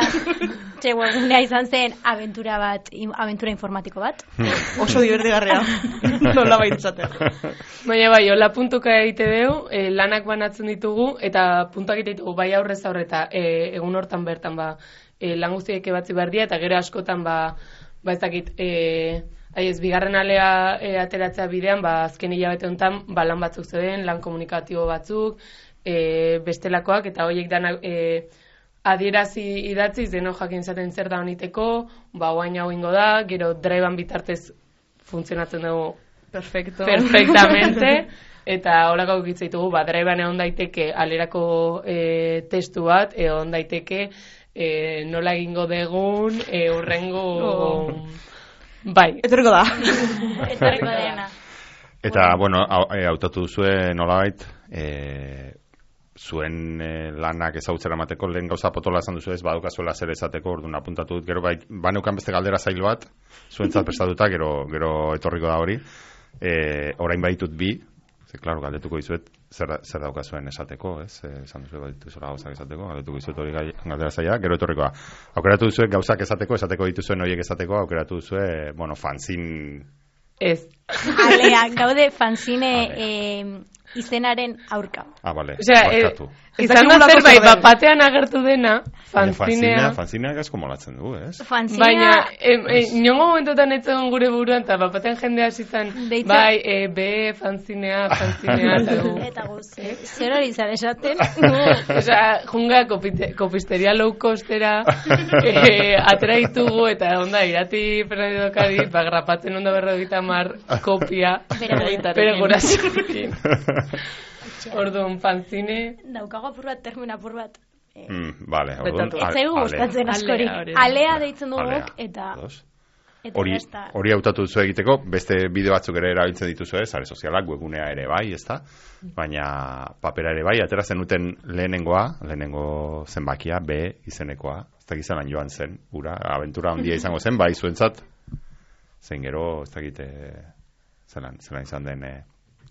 ze webgunea izan zen aventura bat, in, aventura informatiko bat. Oso divertigarria. Nola baitzatea. Baina bai, hola puntuka egite dugu, e, lanak banatzen ditugu, eta puntuak egite ditugu bai aurrez aurreta, e, egun hortan bertan ba, e, lan guztiek ebatzi behar dira, eta gero askotan ba, ba ez dakit, e, Ai ez, bigarren alea e, ateratzea bidean, ba, azken hilabete honetan, ba, lan batzuk zeuden, lan komunikatibo batzuk, e, bestelakoak, eta horiek dana e, adierazi idatziz, deno jakin zaten zer da honiteko, ba, oain hau ingo da, gero drivean bitartez funtzionatzen dugu Perfecto. perfectamente, eta horako gitzitugu, ba, drivean egon daiteke alerako e, testu bat, egon daiteke e, nola egingo degun, e, urrengo... Oh. Bai. Etorriko da. Etorriko dena. Eta, bueno, hau- e, hautatu duzue nolabait, e, zuen e, lanak ezagutzera emateko lehen gauza potola esan duzu ez, badukazuela zer esateko, orduan apuntatu dut, gero bai, baneukan beste galdera zail bat, zuentzat prestatuta, gero, gero etorriko da hori, e, orain baitut bi, ze, klaro, galdetuko dizuet, zer, zer daukazuen esateko, ez, e, esan duzu dituzula gauzak esateko, galdetuko dizuet hori gai, galdera zaila, gero etorriko da. Aukeratu duzue gauzak esateko, esateko dituzuen horiek esateko, aukeratu duzue, bueno, fanzin... Ez. Alea, gaude fanzine eh, izenaren aurka. Ah, bale, Osea, eh, barkatu. izan da zerbait, bat batean agertu dena, fanzinea. Fanzinea asko molatzen du, ez? Fanzinea... Baina, em, em, niongo momentotan etzen gure buruan, eta bat batean jendea zitzen, Deitzen- bai, e, be, fanzinea, fanzinea, eta du. Eta guz, zer hori izan esaten? Osea, junga kopite, kopisteria low costera e, atera ditugu, eta onda, irati Fernando Dokadi, ba, grapatzen ondo berrogeita mar kopia, Bere bere gurasoekin. Orduan, fanzine... Daukago apur bat, termino apur bat. Eh, Mm, vale, orduan... Betatu. Ez zaigu ale- gustatzen askori. Alea, hori da. Alea deitzen dugu alea. guk, eta... Ados. Eta Hori, besta. hori hautatu duzu egiteko, beste bide batzuk ere erabiltzen dituzu, ez, sare sozialak, webgunea ere bai, ezta? Baina papera ere bai, atera zenuten lehenengoa, lehenengo zenbakia, B izenekoa, ez dakit zelan joan zen, ura, abentura handia izango zen, bai zuentzat, zein gero, ez dakit, eh, zelan, zelan izan den, eh,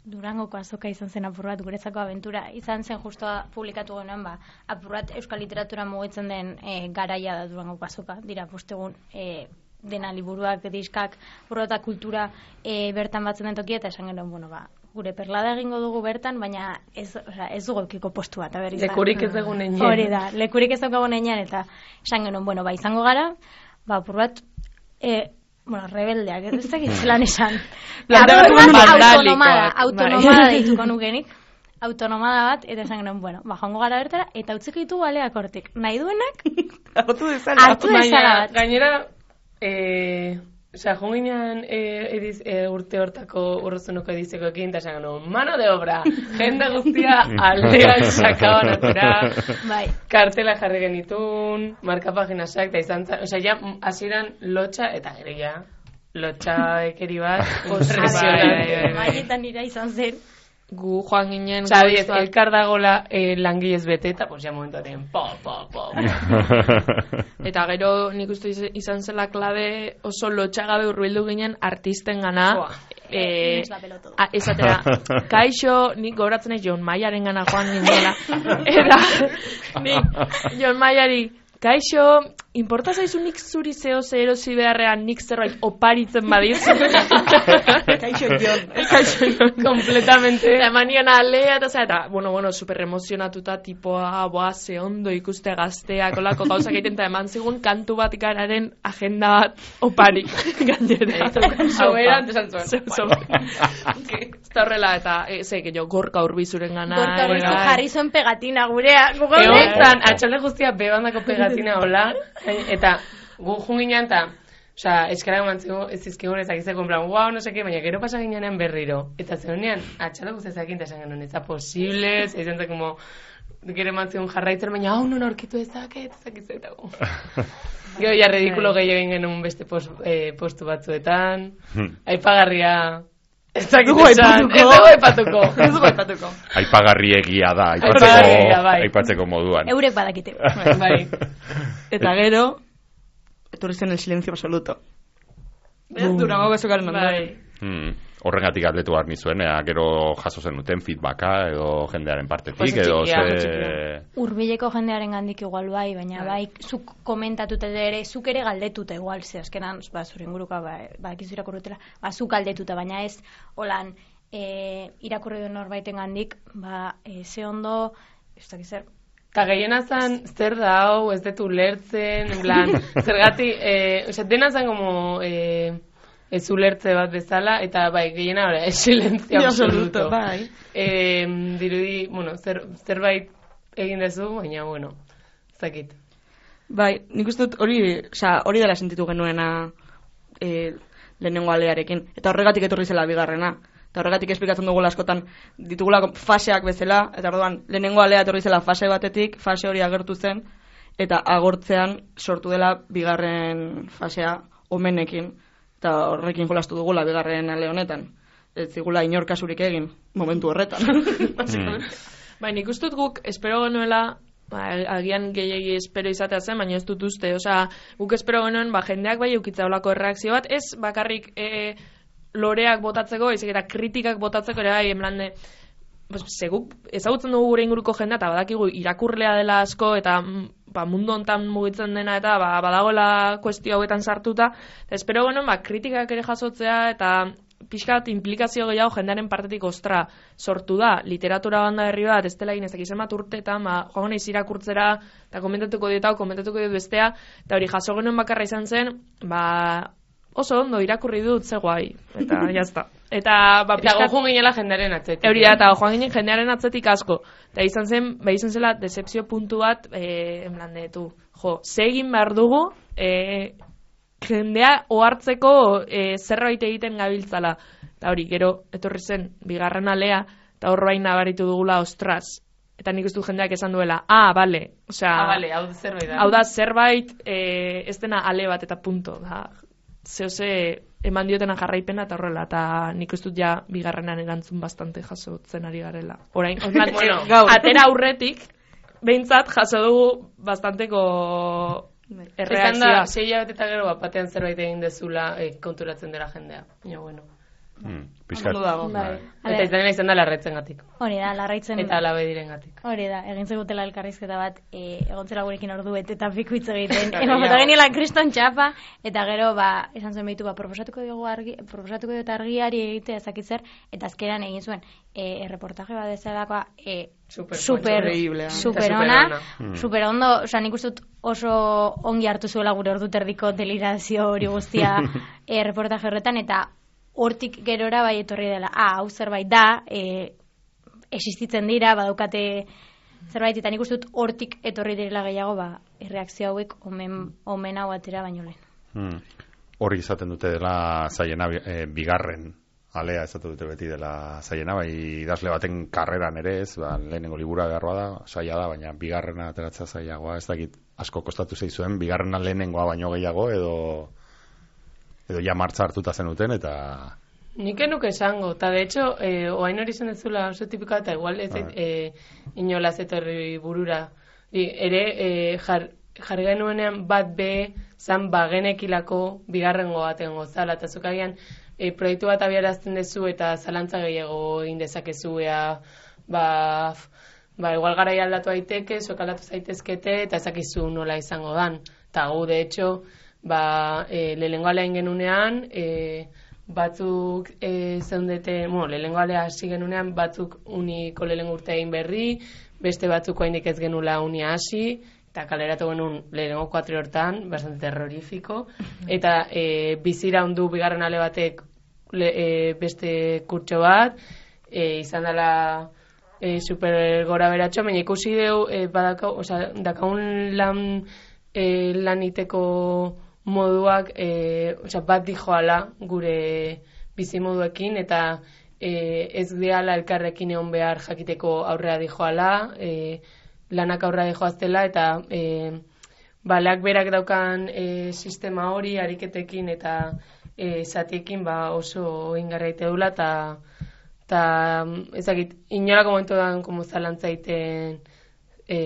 Durangoko azoka izan zen apur bat, guretzako abentura. Izan zen justoa publikatu genuen, ba, apur bat euskal literatura mugitzen den e, garaia da Durangoko azoka. Dira, postegun, e, dena liburuak, diskak, burrota kultura e, bertan batzen den tokia, eta esan genuen, bueno, ba, gure perlada egingo dugu bertan, baina ez, oza, ez dugu ekiko postu bat. Lekurik ez dugu nenean. Hori da, lekurik ez dugu nenean, eta esan genuen, bueno, ba, izango gara, ba, apur bat, e, bueno, rebeldeak, ez dakit zelan esan. Autonomada, autonomada deituko nukenik. Autonomada bat, eta esan genuen, bueno, ba, joango gara bertara, eta utziko ditugu aleak hortik. Nahi duenak, hartu dezala. Hartu dezala bat. Gainera, eh, osea, jonginean eh, ediz, eh, urte hortako urrozunoko edizeko ekin, eta esan genuen, mano de obra, jende guztia aldean sakaban atera, bai. Kartela jarri genitun, markapaginasak, eta izan zen, osea, ja, hasieran lotxa, eta gero ja, lotxa ekeri bat, impresionante. Maietan ira izan zen. Gu joan ginen... Xabi, ez, elkar dagola eh, langilez bete, eta pues, ja momentu aten, po, po, po. Eta gero nik uste izan zela klabe oso lotxagabe urbildu ginen artisten gana. Eh, a, esatera, kaixo, nik goratzen ez Jon Maiaren gana joan ginela. Eta nik Jon Maiari, kaixo, importa zaizu nik zuri zeo ze erosi beharrean nik zerbait oparitzen badiz. Kaixo Jon. Kaixo Jon. Kompletamente. Eta emanion alea, eta eta, bueno, bueno, super emozionatuta, tipoa, boa, ze ondo ikuste gazteak, olako gauzak egiten, eta eman zigun kantu bat ikararen agenda bat oparik. Gainera. Hau era, antes antzuen. Eta horrela, eta, ze, jo, gorka urbizuren gana. Gorka urbizu jarri zuen pegatina gurea. Egon atxalde guztia bebandako pegatina hola, eta gu junginan, eta osea, eskara emantzeko ez izkigun ezakizeko, en plan, guau, no seke, baina gero pasa ginean berriro. Eta zegoenean, atxalde guztia ezakin, eta esan genuen, ez da posible, izan zen, como, gero emantzeko jarraitzen, baina hau non aurkitu ezaket, ezakizetago. Gero, ja, redikulo gehiago egin genuen beste post, eh, postu batzuetan, aipagarria... Ez dugu aipatuko. Ez dugu aipatuko. Aipagarri egia da, aipatzeko, aipatzeko moduan. Eurek badakite. Bai. Eta gero, etorri zen el silencio absoluto. Durango bezokaren ondoren. Hmm. Horrengatik galdetu behar nizuen, ea, gero jaso zen duten feedbacka edo jendearen partetik, edo ze... Urbileko jendearen gandik igual bai, baina bai, zuk komentatute ere, zuk ere galdetuta igual, ze azkenan, ba, zure inguruka, ba, ba ekizu irakurrutela, ba, zuk galdetuta, baina ez, holan, e, irakurri duen norbaiten gandik, ba, e, ze ondo, ez dakiz zer, eta gehiena zan, zer da hau, ez detu lertzen, en plan, zergati, eh, oza, dena zan como... Eh, ez ulertze bat bezala, eta bai, gehiena hori, silencio absoluto. Bai. Eh, dirudi, bueno, zer, zerbait egin dezu, baina, bueno, zakit. Bai, nik uste dut hori, oza, hori dela sentitu genuena e, lehenengo alearekin, eta horregatik etorri zela bigarrena. Eta horregatik esplikatzen dugu askotan ditugula faseak bezala, eta orduan lehenengo alea etorri zela fase batetik, fase hori agertu zen, eta agortzean sortu dela bigarren fasea omenekin. Eta horrekin jolastu dugula bigarren ale honetan. Ez zigula inor kasurik egin, momentu horretan. Mm. Baina ikustut guk, espero genuela, ba, agian gehiagi espero izatea zen, baina ez dut uste. Osea, guk espero genuen, ba, jendeak bai eukitza olako erreakzio bat, ez bakarrik e, loreak botatzeko, ezik eta kritikak botatzeko ere bai, emlande, pues, seguk ezagutzen dugu gure inguruko jendea, eta badakigu irakurlea dela asko, eta ba, mundu hontan mugitzen dena eta ba, badagoela kuestio hauetan sartuta. Eta espero genuen ba, kritikak ere jasotzea eta pixkat implikazio gehiago jendearen partetik ostra sortu da. Literatura banda berri bat, ez dela egin ez dakizen bat urteetan, ba, joan naiz irakurtzera eta komentatuko dieta o komentatuko diet bestea, eta hori jaso genuen bakarra izan zen, ba, oso ondo irakurri dut ze guai, eta jazta. Eta, ba, eta gojo ginela jendearen atzetik. Euria, eta gojo ginen jendearen atzetik asko. Eta izan zen, ba, izan zela decepzio puntu bat, e, enblande, tu, jo, ze egin behar dugu, e, jendea ohartzeko e, zerbait egiten gabiltzala. Eta hori, gero, etorri zen, bigarren alea, eta horrein nabaritu dugula, ostras. Eta nik uste jendeak esan duela, ah, bale, osea, ah, bale, hau zerbait da. Hau da zerbait, e, ez dena ale bat eta punto, da, zehose, eman diotena jarraipena eta horrela, eta nik ez dut ja bigarrenan erantzun bastante jasotzen ari garela. Orain, ondan, bueno, atera aurretik, behintzat jaso dugu bastanteko erreakzioa. Esan da, sei hilabete eta gero batean zerbait egin dezula eh, konturatzen dela jendea. Ja, bueno. Hmm, Piskat. Bai. Eta izan izan da larretzen gatik. Hori da, larraitzen... Eta alabe diren gatik. Hori da, egin zegutela elkarrizketa bat, e, egontzela gurekin ordu bete eta piko hitz egiten. Ema, eta geniela kriston txapa, eta gero, ba, esan zuen behitu, ba, proposatuko dugu argi, proposatuko dut argiari egitea ezakitzer, eta azkeran egin zuen, e, erreportaje bat ezelakoa, e, super, super, super ona, super ondo, oza, nik uste dut oso ongi hartu zuela gure ordu terdiko delirazio hori guztia e, reportaje horretan, eta hortik gerora bai etorri dela, ah, hau zerbait da, e, existitzen dira, badaukate zerbait, eta nik uste dut hortik etorri direla gehiago, ba, erreakzio hauek omen, omen hau atera baino lehen. Hmm. Hori izaten dute dela zaiena e, bigarren alea esaten dute beti dela zaiena, bai idazle baten karreran ere ez, ba, lehenengo libura beharroa da, saia da, baina bigarrena ateratzea zailagoa, ez dakit asko kostatu zeizuen, bigarrena lehenengoa baino gehiago, edo edo ja martza hartuta zenuten, eta... Nik enuke esango, eta de hecho, eh, oain hori zen ez zula oso tipikoa, eta igual ez eh, inolaz etorri burura. I, ere, eh, jar, jarri genuenean bat be, zan bagenekilako bigarrengo baten gozala, eta zukagian eh, proiektu bat abiarazten dezu, eta zalantza gehiago egin dezakezu, ea, ba... Ba, igual garai aldatu daiteke, zuek aldatu zaitezkete, eta ezakizu nola izango dan. Eta gu, de hecho, ba, e, lehenengo alea ingenunean, e, batzuk e, zeundete, bueno, lehenengo alea hasi genunean, batzuk uniko lehenengo urte egin berri, beste batzuk oainik ez genula unia hasi, eta kaleratu genuen lehenengo kuatri hortan, bastante terrorifiko, eta e, bizira hundu bigarren ale batek le, e, beste kurtso bat, e, izan dela e, super gora beratxo, baina ikusi deu, e, badaka, oza, dakaun lan, e, laniteko moduak e, oza, bat dijoala gure bizimoduekin, eta e, ez gehala elkarrekin egon behar jakiteko aurrea dijoala, e, lanak aurrea dijoaztela, eta e, balak berak daukan e, sistema hori ariketekin eta e, zatiekin ba, oso ingarraite dula, eta eta ezakit, inolako momentu da como zalantza iten e,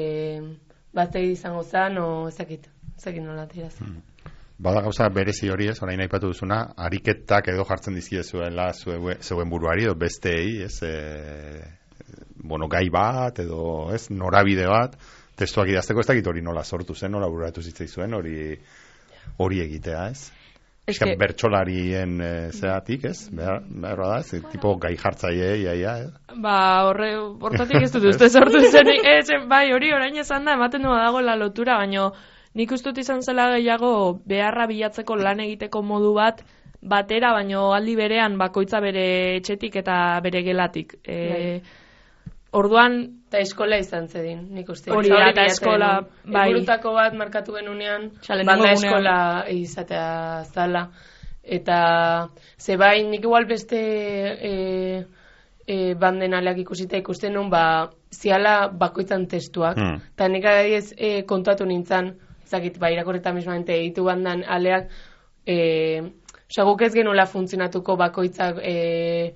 batei izango zan, o ezakit, ezakit nola tiraz. Hmm. Bada gauza berezi hori ez, orain aipatu duzuna, ariketak edo jartzen dizkiezuela zeuen buruari, edo besteei, ez, e, bueno, gai bat, edo, ez, norabide bat, testuak idazteko ez dakit hori nola sortu zen, nola bururatu zitzaizuen, hori hori egitea, ez? Ez que bertsolarien e, zeatik, ez? Behar, behar da, ez? Tipo gai jartzaile, iaia, ez? Ba, horre, hortatik ez dut uste sortu zen, ez, bai, hori orain esan da, ematen du dago la lotura, baino, nik ustut izan zela gehiago beharra bilatzeko lan egiteko modu bat batera, baino aldi berean bakoitza bere etxetik eta bere gelatik. E, orduan... Eta eskola izan zedin, nik uste. Hori da, eta eskola... Bai. Egurutako bat markatu genunean, banda eskola izatea zala. Eta, ze bai, nik igual beste e, e, banden aleak ikusita ikusten nun, ba, ziala bakoitzan testuak. Eta hmm. nik adaiez e, kontatu nintzen, zakit, ba, irakorreta mismamente egitu bandan aleak, e, oza, guk ez genuela funtzionatuko bakoitzak e,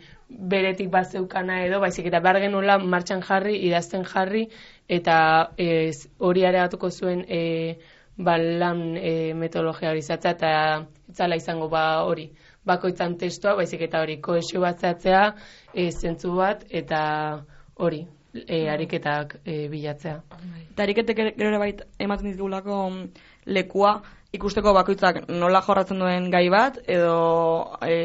beretik bat zeukana edo, baizik eta behar genuela martxan jarri, idazten jarri, eta e, hori areatuko zuen e, ba, lan e, metodologia hori zatzea, eta etzala izango ba hori, bakoitzan testua, baizik eta hori kohesio bat zatzea, e, zentzu bat, eta hori. E, ariketak e, bilatzea. Eta ariketek gero bait ematen ditugulako lekua ikusteko bakoitzak nola jorratzen duen gai bat, edo e,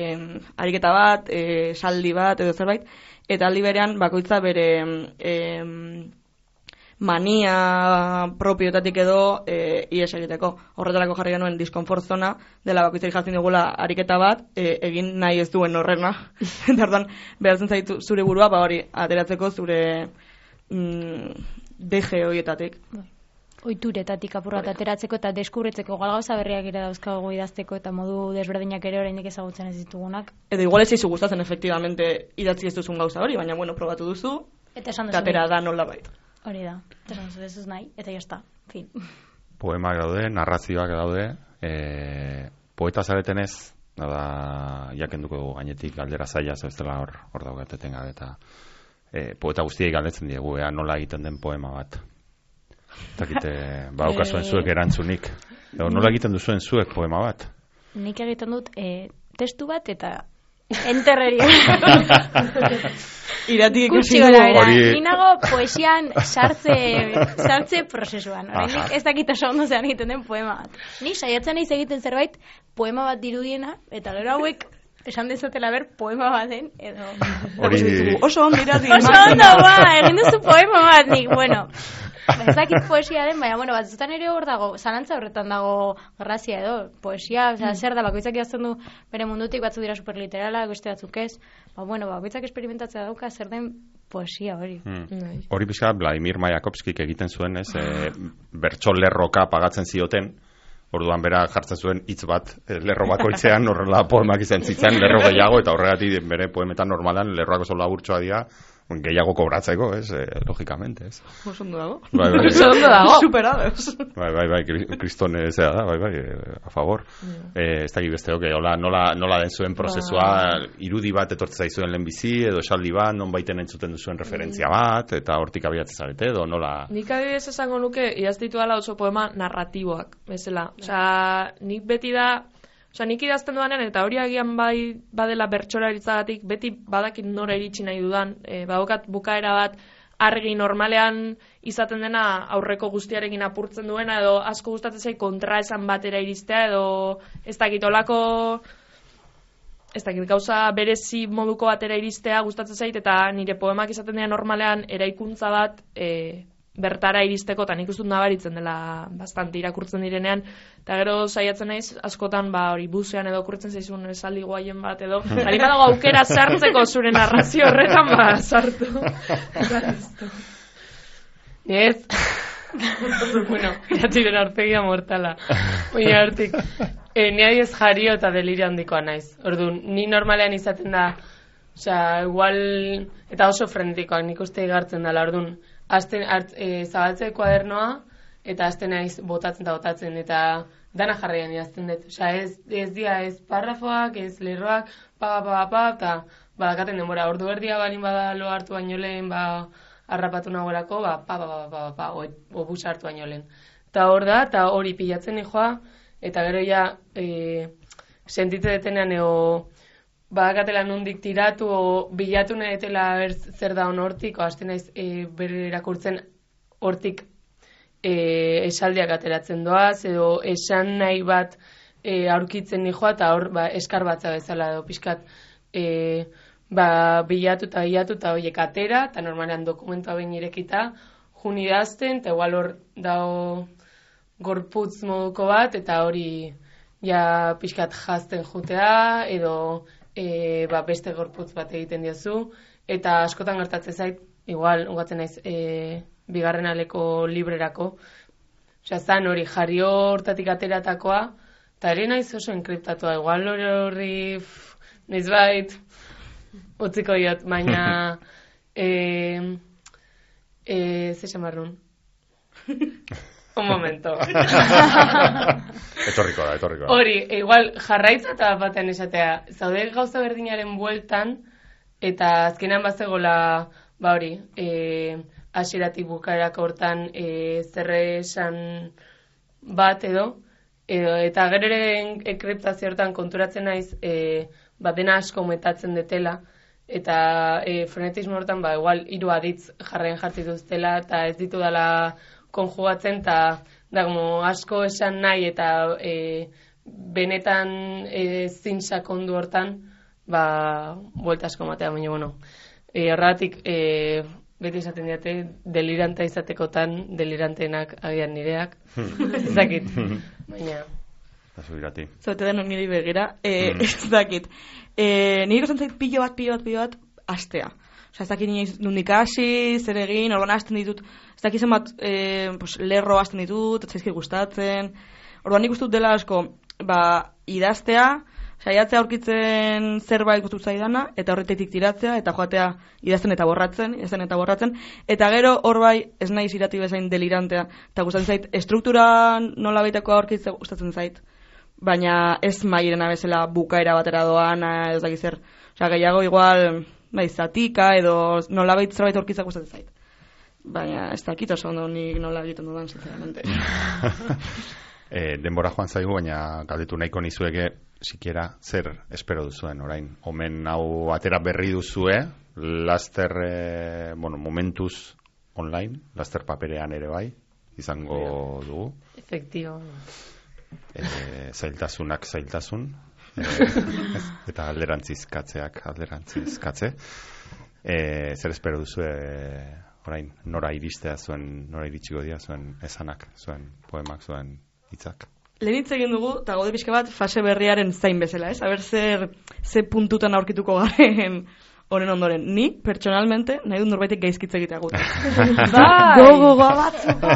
ariketa bat, e, saldi bat, edo zerbait, eta aldi berean bakoitza bere e, mania propioetatik edo e, ies egiteko. Horretarako jarri genuen diskomfort zona, dela bakoitzari jartzen dugula ariketa bat, e, egin nahi ez duen horrena. Eta orduan, behartzen zaitu zure burua, ba hori, ateratzeko zure mm, deje horietatik. Oituretatik apurrat ateratzeko eta deskubritzeko gauza berriak ere dauzkagu idazteko eta modu desberdinak ere oraindik ezagutzen ez ditugunak. Edo igual ez izu gustatzen efectivamente idatzi ez duzun gauza hori, baina bueno, probatu duzu, eta esan duzu. Atera da nola bait. Hori da, eta esan duzu ez nahi, eta jazta, fin. Poemak daude, narrazioak daude, e, poeta zaretenez, da, jakenduko dugu gainetik galdera zaila zebestela hor, hor daugateten gabe, eta e, poeta guztiek galdetzen diegu, ea nola egiten den poema bat. Takite, bauka zuen zuek erantzunik. Edo, nola egiten duzuen zuek poema bat? Nik egiten dut e, testu bat eta Enterreria. Iratik ikusi dugu. Hori- Ni nago poesian sartze, sartze prozesuan. Oraindik ez dakit oso ondo zean egiten den poema bat. Ni saiatzen naiz egiten zerbait poema bat dirudiena, eta gero hauek esan dezatela ber poema bat den, edo... Hori... Oso ondo iratik. Oso ondo, ba, egin duzu poema bat nik, bueno... Ez dakit poesia den, baina, bueno, batzutan ere hor dago, zalantza horretan dago grazia edo, poesia, oza, zer da, bakoitzak idazten du bere mundutik, batzuk dira superliterala, beste batzuk ez, ba, bueno, bakoitzak esperimentatzea dauka, zer den poesia hori. Hmm. Hori pixka, Vladimir Mayakovskik egiten zuen, ez, e, bertso lerroka pagatzen zioten, orduan bera jartzen zuen hitz bat e, lerro bakoitzean, horrela poemak izan zitzen, lerro gehiago, eta horregatik bere poemetan normalan lerroak oso laburtsoa dira, gehiago kobratzeko, ez, eh, logikamente, ez. Oso ondo dago. Bai, bai, Oso ondo dago. Superados. Bai, bai, bai, kriston zera da, bai, bai, a favor. Yeah. Eh, ez dakit beste, okay, hola, nola, nola den zuen prozesua, ba. Irudi bat etortzen zaizuen lehenbizi, edo esaldi bat, non baiten entzuten duzuen referentzia bat, eta hortik abiatzen zarete, edo nola... Nik adibidez esango nuke, idaztitu dela oso poema narratiboak, bezala. Osea, nik beti da... Osa, nik idazten dudanen, eta hori agian bai badela bertsolaritzagatik, beti badakit nora iritsi nahi dudan, e, badokat bukaera bat argi normalean izaten dena aurreko guztiarekin apurtzen duena, edo asko gustatzen zait kontraesan batera iristea, edo ez dakit olako, ez dakit gauza berezi moduko batera iristea gustatzen zait, eta nire poemak izaten dena normalean eraikuntza bat e, bertara iristeko, eta nik ustut nabaritzen dela bastante irakurtzen direnean, eta gero saiatzen naiz askotan ba hori busean edo okurtzen zaizun esaldi guaien bat edo bali badago aukera sartzeko zure narrazio horretan ba sartu. Ez. Bueno, iratiren aurpegia mortala. Oina hortik. Eh, ni adiez jario eta delirio handikoa naiz. Orduan, ni normalean izaten da, osea, igual eta oso frenetikoak nik uste igartzen dela, orduan. Azten hart, e, zabaltze kuadernoa, eta azten naiz botatzen eta botatzen, eta dana jarraian idazten dut. Osea, ez, ez dia ez parrafoak, ez lerroak, pa, pa, pa, pa, eta badakaten denbora, ordu erdia balin bada lo hartu baino lehen, ba, harrapatu nagorako, ba, pa, pa, pa, pa, pa, pa, o, o bus hartu baino lehen. Eta hor da, eta hori pilatzen nijoa, eta gero ja, e, sentitze detenean, eo, badakatela nondik tiratu o bilatu nahi etela zer da hon hortik, o hasten naiz e, bere erakurtzen hortik e, esaldiak ateratzen doaz, edo esan nahi bat e, aurkitzen nijoa, eta hor ba, eskar batza bezala edo pixkat e, ba, bilatu eta bilatu eta horiek atera, eta normalean dokumentua behin irekita, jun idazten, eta igual hor dao gorputz moduko bat, eta hori ja pixkat jazten jutea, edo E, ba, beste gorputz bat egiten diozu, eta askotan gertatzen zait, igual, ungatzen naiz, e, bigarren aleko librerako, osea, zan hori jario hortatik ateratakoa, eta ere naiz oso enkriptatua, igual hori horri, naiz bait, utziko diot, baina, e, e, ze xamarrun? Un momento. Etorriko da, etorriko da. Hori, igual jarraitza eta batean esatea, zaude gauza berdinaren bueltan, eta azkenean bazegola, ba hori, e, hasieratik bukaerako hortan e, zerre esan bat edo, edo eta gero ere enkriptazio hortan konturatzen naiz, e, ba dena asko metatzen detela, eta e, frenetismo hortan, ba igual hiru aditz jarraien jartzen duztela, eta ez ditu dela konjugatzen, eta da, como asko esan nahi, eta e, benetan e, zin sakondu hortan, ba, buelta asko matea, baina, bueno, e, horregatik, e, beti esaten diate, deliranta izatekotan, delirantenak agian nireak, ez dakit, baina... Zazu irati. Zaute den niri begira, e, mm. ez dakit. E, nire ikosan zait pilo bat, pilo bat, pilo bat, astea. Osa, ez dakit nire nundik hasi, zer egin, orban hasten ditut, ez dakit zenbat e, pues, lerro hasten ditut, ez zaizki gustatzen. Orban nik ustut dela asko, ba, idaztea, saiatzea aurkitzen zerbait gustut zaidana, eta horretetik tiratzea, eta joatea idazten eta borratzen, idazten eta borratzen, eta gero hor bai ez naiz irati bezain delirantea, eta gustatzen zait, estruktura nola baitako aurkitzea gustatzen zait, baina ez mairena bezala bukaera batera doana, ez dakit zer, osea, gehiago igual, bai, zatika, edo nola bait zerbait aurkitzea gustatzen zait. Baina ez dakit oso ondo nik nola egiten dudan, sinceramente. E, denbora joan zaigu, baina galdetu nahiko nizueke sikiera zer espero duzuen orain. Omen hau atera berri duzue, laster, eh, bueno, momentuz online, laster paperean ere bai, izango dugu. Efectivo. Eh, zailtasunak zailtasun, eh, eta alderantzizkatzeak alderantzizkatze. Eh, zer espero duzue orain, nora iristea zuen, nora iritsiko dira zuen esanak, zuen poemak, zuen hitzak? Lehen hitz egin dugu, eta gaude pixka bat, fase berriaren zain bezala, ez? Aber zer, ze puntutan aurkituko garen honen ondoren. Ni, pertsonalmente, nahi dut norbaitek gaizkitze egitea gute. Bai! Gogoa batzuko!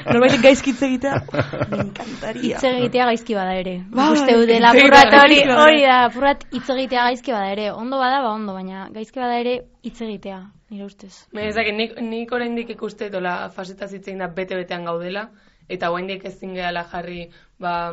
Norbaitek gaizkitze egitea, me encantaria. Hitz egitea gaizki bada ere. Bai, Uste dela purrat hori, hori da, purrat hitz egitea gaizki bada ere. Ondo bada, ba ondo, baina gaizki bada ere hitz egitea, nire ustez. Baina ezak, nik, nik oraindik ikuste dola fasetaz hitzein da bete-betean gaudela, eta oraindik ezin gehala jarri, ba,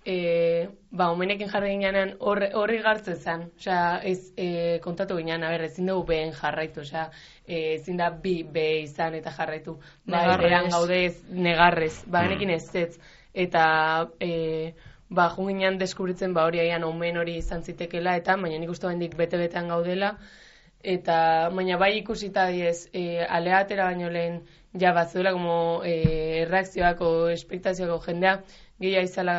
e, ba, omenekin jarri ginean horri, horri gartzen zen. Osea, ez e, kontatu ginean, a ber, ezin dugu behen jarraitu, osea, e, ezin da bi be izan eta jarraitu. Ba, eran gaudez, negarrez, ba, genekin ez ez. Eta, e, ba, junginean deskubritzen, ba, hori aian omen hori izan zitekela, eta, baina nik uste oraindik bete-betean gaudela, eta, baina bai ikusita diez, e, alea atera baino lehen, ja, batzuela, como, e, reakzioak o espektazioako jendea, gehia izala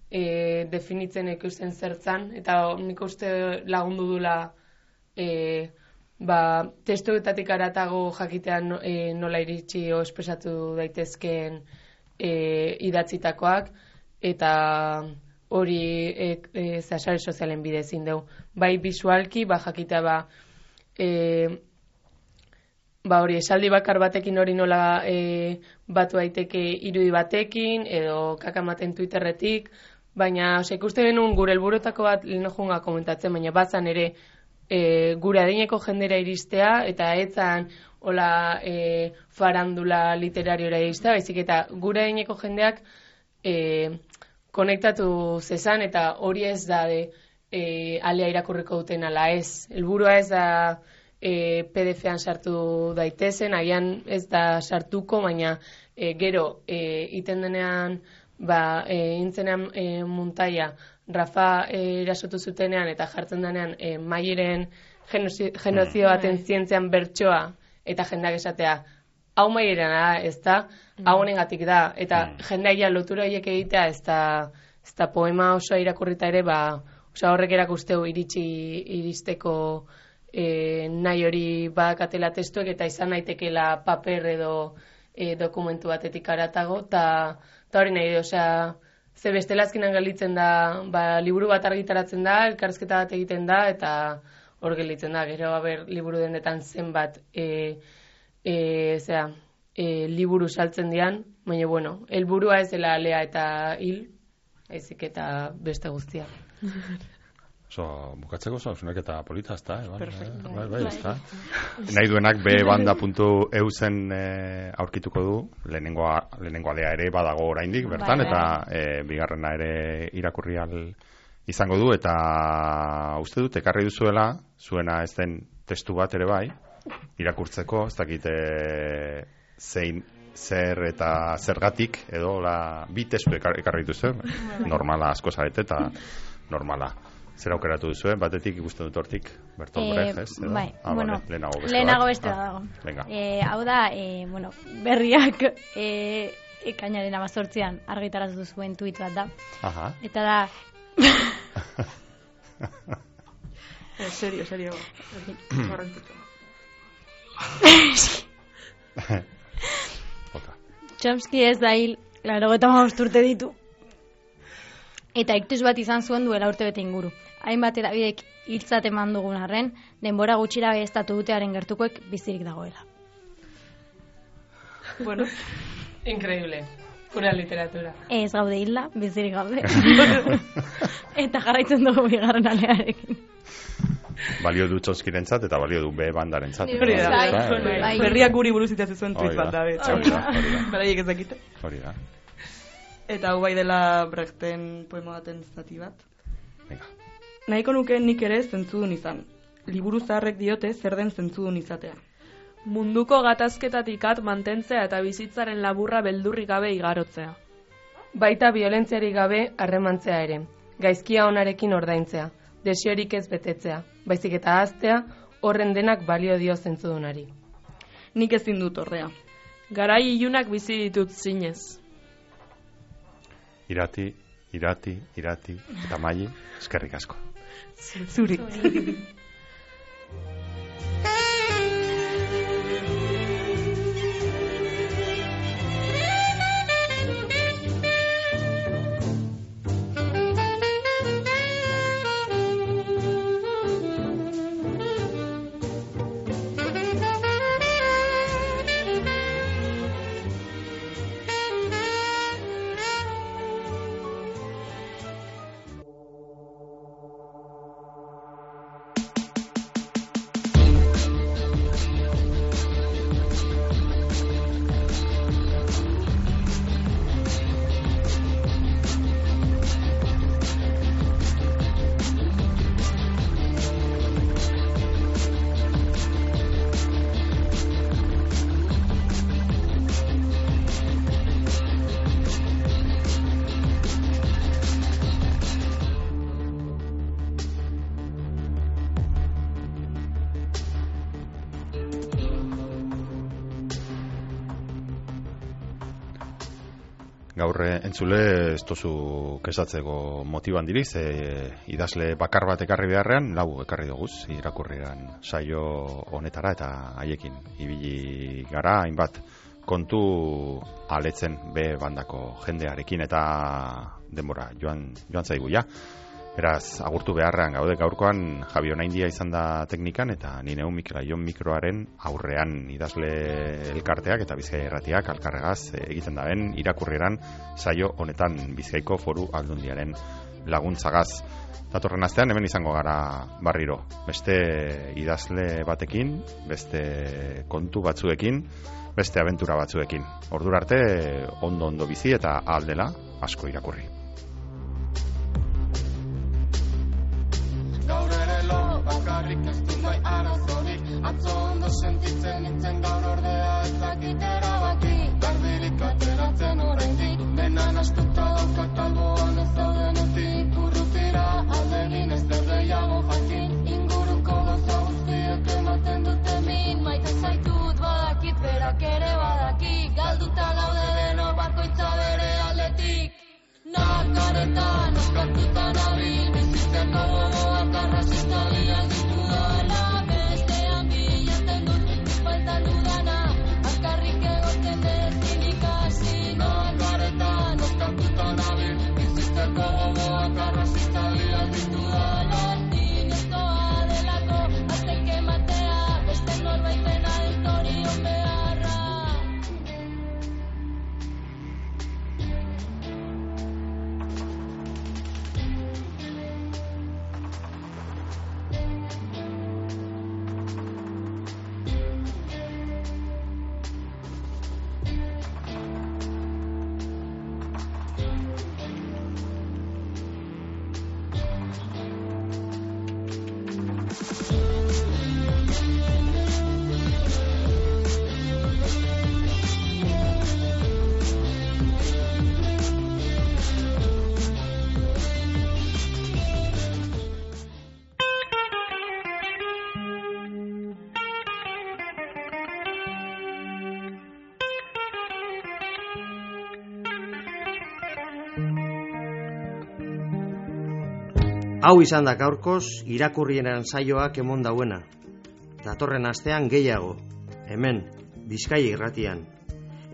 e, definitzen ikusten zertzan, eta nik uste lagundu dula e, ba, testuetatik aratago jakitean e, nola iritsi o espresatu daitezkeen e, idatzitakoak, eta hori e, e, sare sozialen bidez indeu. Bai visualki, ba jakitea ba, e, ba hori esaldi bakar batekin hori nola e, batu daiteke irudi batekin, edo kakamaten Twitterretik, baina ose, ikuste genuen gure helburutako bat lehen junga komentatzen, baina batzan ere e, gure adineko jendera iristea, eta etzan hola e, farandula literariora iristea, baizik eta gure adineko jendeak e, konektatu zezan, eta hori ez da de, e, alea irakurriko duten ala ez. Helburua ez da E, P D F-an sartu daitezen, agian ez da sartuko, baina e, gero e, iten denean, ba, e, intzenean e, muntaia, Rafa e, erasotu zutenean eta jartzen denean e, Maieren genozio baten zientzean bertsoa eta jendeak esatea, hau Maieren da, ez da, hau honengatik da, eta jendeak ja lotura horiek egitea, ez da, ez da poema osoa irakurrita ere, ba, osa horrek erakusteu iritsi iristeko E, nahi hori badakatela testuek eta izan naitekela paper edo e, dokumentu batetik aratago, eta hori nahi, osea, ze bestela azkenan galitzen da, ba, liburu bat argitaratzen da, elkarrizketa bat egiten da, eta hor gelitzen da, gero haber liburu dendetan zenbat e, e, zera, e, liburu saltzen dian, baina bueno, helburua ez dela alea eta hil, ezik eta beste guztia. So, bukatzeko zauzunek eta polita, ez da, eh? Perfecto. Bai, bai, ez da. Nahi duenak bebanda puntu eu zen eh, aurkituko du, lehenengo, lehenengo alea ere badago oraindik, bertan, bai, eta eh, bigarrena ere irakurri al izango du, eta uste dut, ekarri duzuela, zuena ez den testu bat ere bai, irakurtzeko, ez dakite zein, zer eta zergatik, edo la, bi testu ekarri duzu, normala asko zarete eta normala. Zer aukeratu duzuen, batetik ikusten dut hortik, Bertolt Brecht, ez? Eh, bai, ah, bueno, vale, lehenago beste lehenago bat. beste ah, dago. Venga. Eh, hau da, eh, bueno, berriak eh, ekainaren amazortzian argitaratu zuen tweet bat da. Aha. Eta da... eh, serio, serio. Chomsky ez da hil, laro eta urte ditu. Eta iktus bat izan zuen duela urte bete inguru. Hainbat edabidek hiltzat eman dugun arren, denbora gutxira behestatu dutearen gertukoek bizirik dagoela. Bueno, increíble. Pura literatura. Ez gaude hilda, bizirik gaude. Eta jarraitzen dugu bigarren alearekin. Balio du Chomskyrentzat eta balio du B bandarentzat. Hori da. Bai. Berriak guri buruz itatzen zuen tweet bat da. Hori da, hori da. Beraiek ez dakite. Hori da. Eta hau bai dela Brechten poema baten zati bat. Venga. Nahiko nuke nik ere zentzudun izan. Liburu zaharrek diote zer den zentzudun izatea. Munduko gatazketatik at mantentzea eta bizitzaren laburra beldurrik gabe igarotzea. Baita biolentziarik gabe harremantzea ere. gaizkia onarekin ordaintzea, desiorik ez betetzea, baizik eta ahaztea, horren denak balio dio zentzudunari. Nik ezin dut ordea. Garai ilunak bizi ditut zinez. Irati, irati, irati, eta Maili, eskerrik asko. Zuri. Gaur entzule ez tozu kesatzeko motiban diriz, e, idazle bakar bat ekarri beharrean, lau ekarri doguz, irakurriran saio honetara eta haiekin ibili gara, hainbat kontu aletzen be bandako jendearekin eta denbora joan, joan zaigu ja. Beraz, agurtu beharrean gaude gaurkoan Javi Onaindia izan da teknikan eta ni neu Mikel mikroaren aurrean idazle elkarteak eta Bizkaia Irratiak alkarregaz egiten daben irakurrieran saio honetan Bizkaiko Foru Aldundiaren laguntzagaz. Datorren astean hemen izango gara barriro. Beste idazle batekin, beste kontu batzuekin, beste abentura batzuekin. Ordura arte ondo ondo bizi eta aldela asko irakurri. Bakarrik ez du bai arazorik, atzo ondo sentitzen nintzen gaur ordea ez dakit erabaki. Berdirik ateratzen oraindik, dena nastuta daukat alboan ez daudenetik. Urrutira aldegin ez der gehiago jakin, inguruko gauza guztiek ematen dute min. Maite zaitut badakit berak ere badaki, galduta gaude deno bakoitza bere aldetik. Nakaretan, oskatuta nabil, bizitzen gogoak arrazista biak ditu dala. Bestean bilatzen dut, faltan dudana, azkarrik egoten dezin ikasi. Nakaretan, oskatuta nabil, bizitzen gogoak arrazista biak ditu dala. Zinezkoa delako, aztek ematea, beste norbaitena ez dorion beharra. Hau izan da gaurkoz irakurrieran saioak emon dauena. Datorren astean gehiago, hemen, Bizkaia Irratian.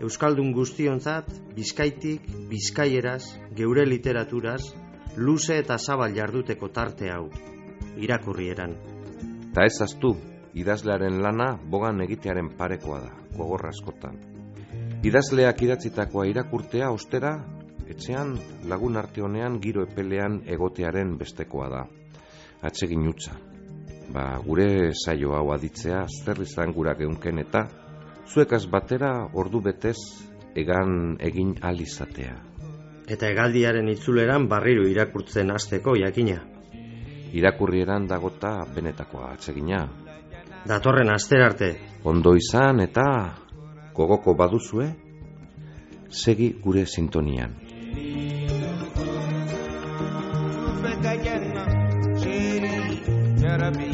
Euskaldun guztionzat, Bizkaitik, Bizkaieraz, geure literaturaz, luze eta zabal jarduteko tarte hau, irakurrieran. Ta ez aztu, idazlearen lana bogan egitearen parekoa da, gogorra askotan. Idazleak idatzitakoa irakurtea ostera, etxean lagun arte honean giro epelean egotearen bestekoa da. Atsegin utza. Ba, gure saio hau aditzea zer izan gura geunken eta zuekaz batera ordu betez egan egin alizatea. Eta hegaldiaren itzuleran barriro irakurtzen hasteko jakina. Irakurrieran dagota benetakoa atsegina. Datorren asterarte. Ondo izan eta gogoko baduzue, segi gure sintonian. gotta be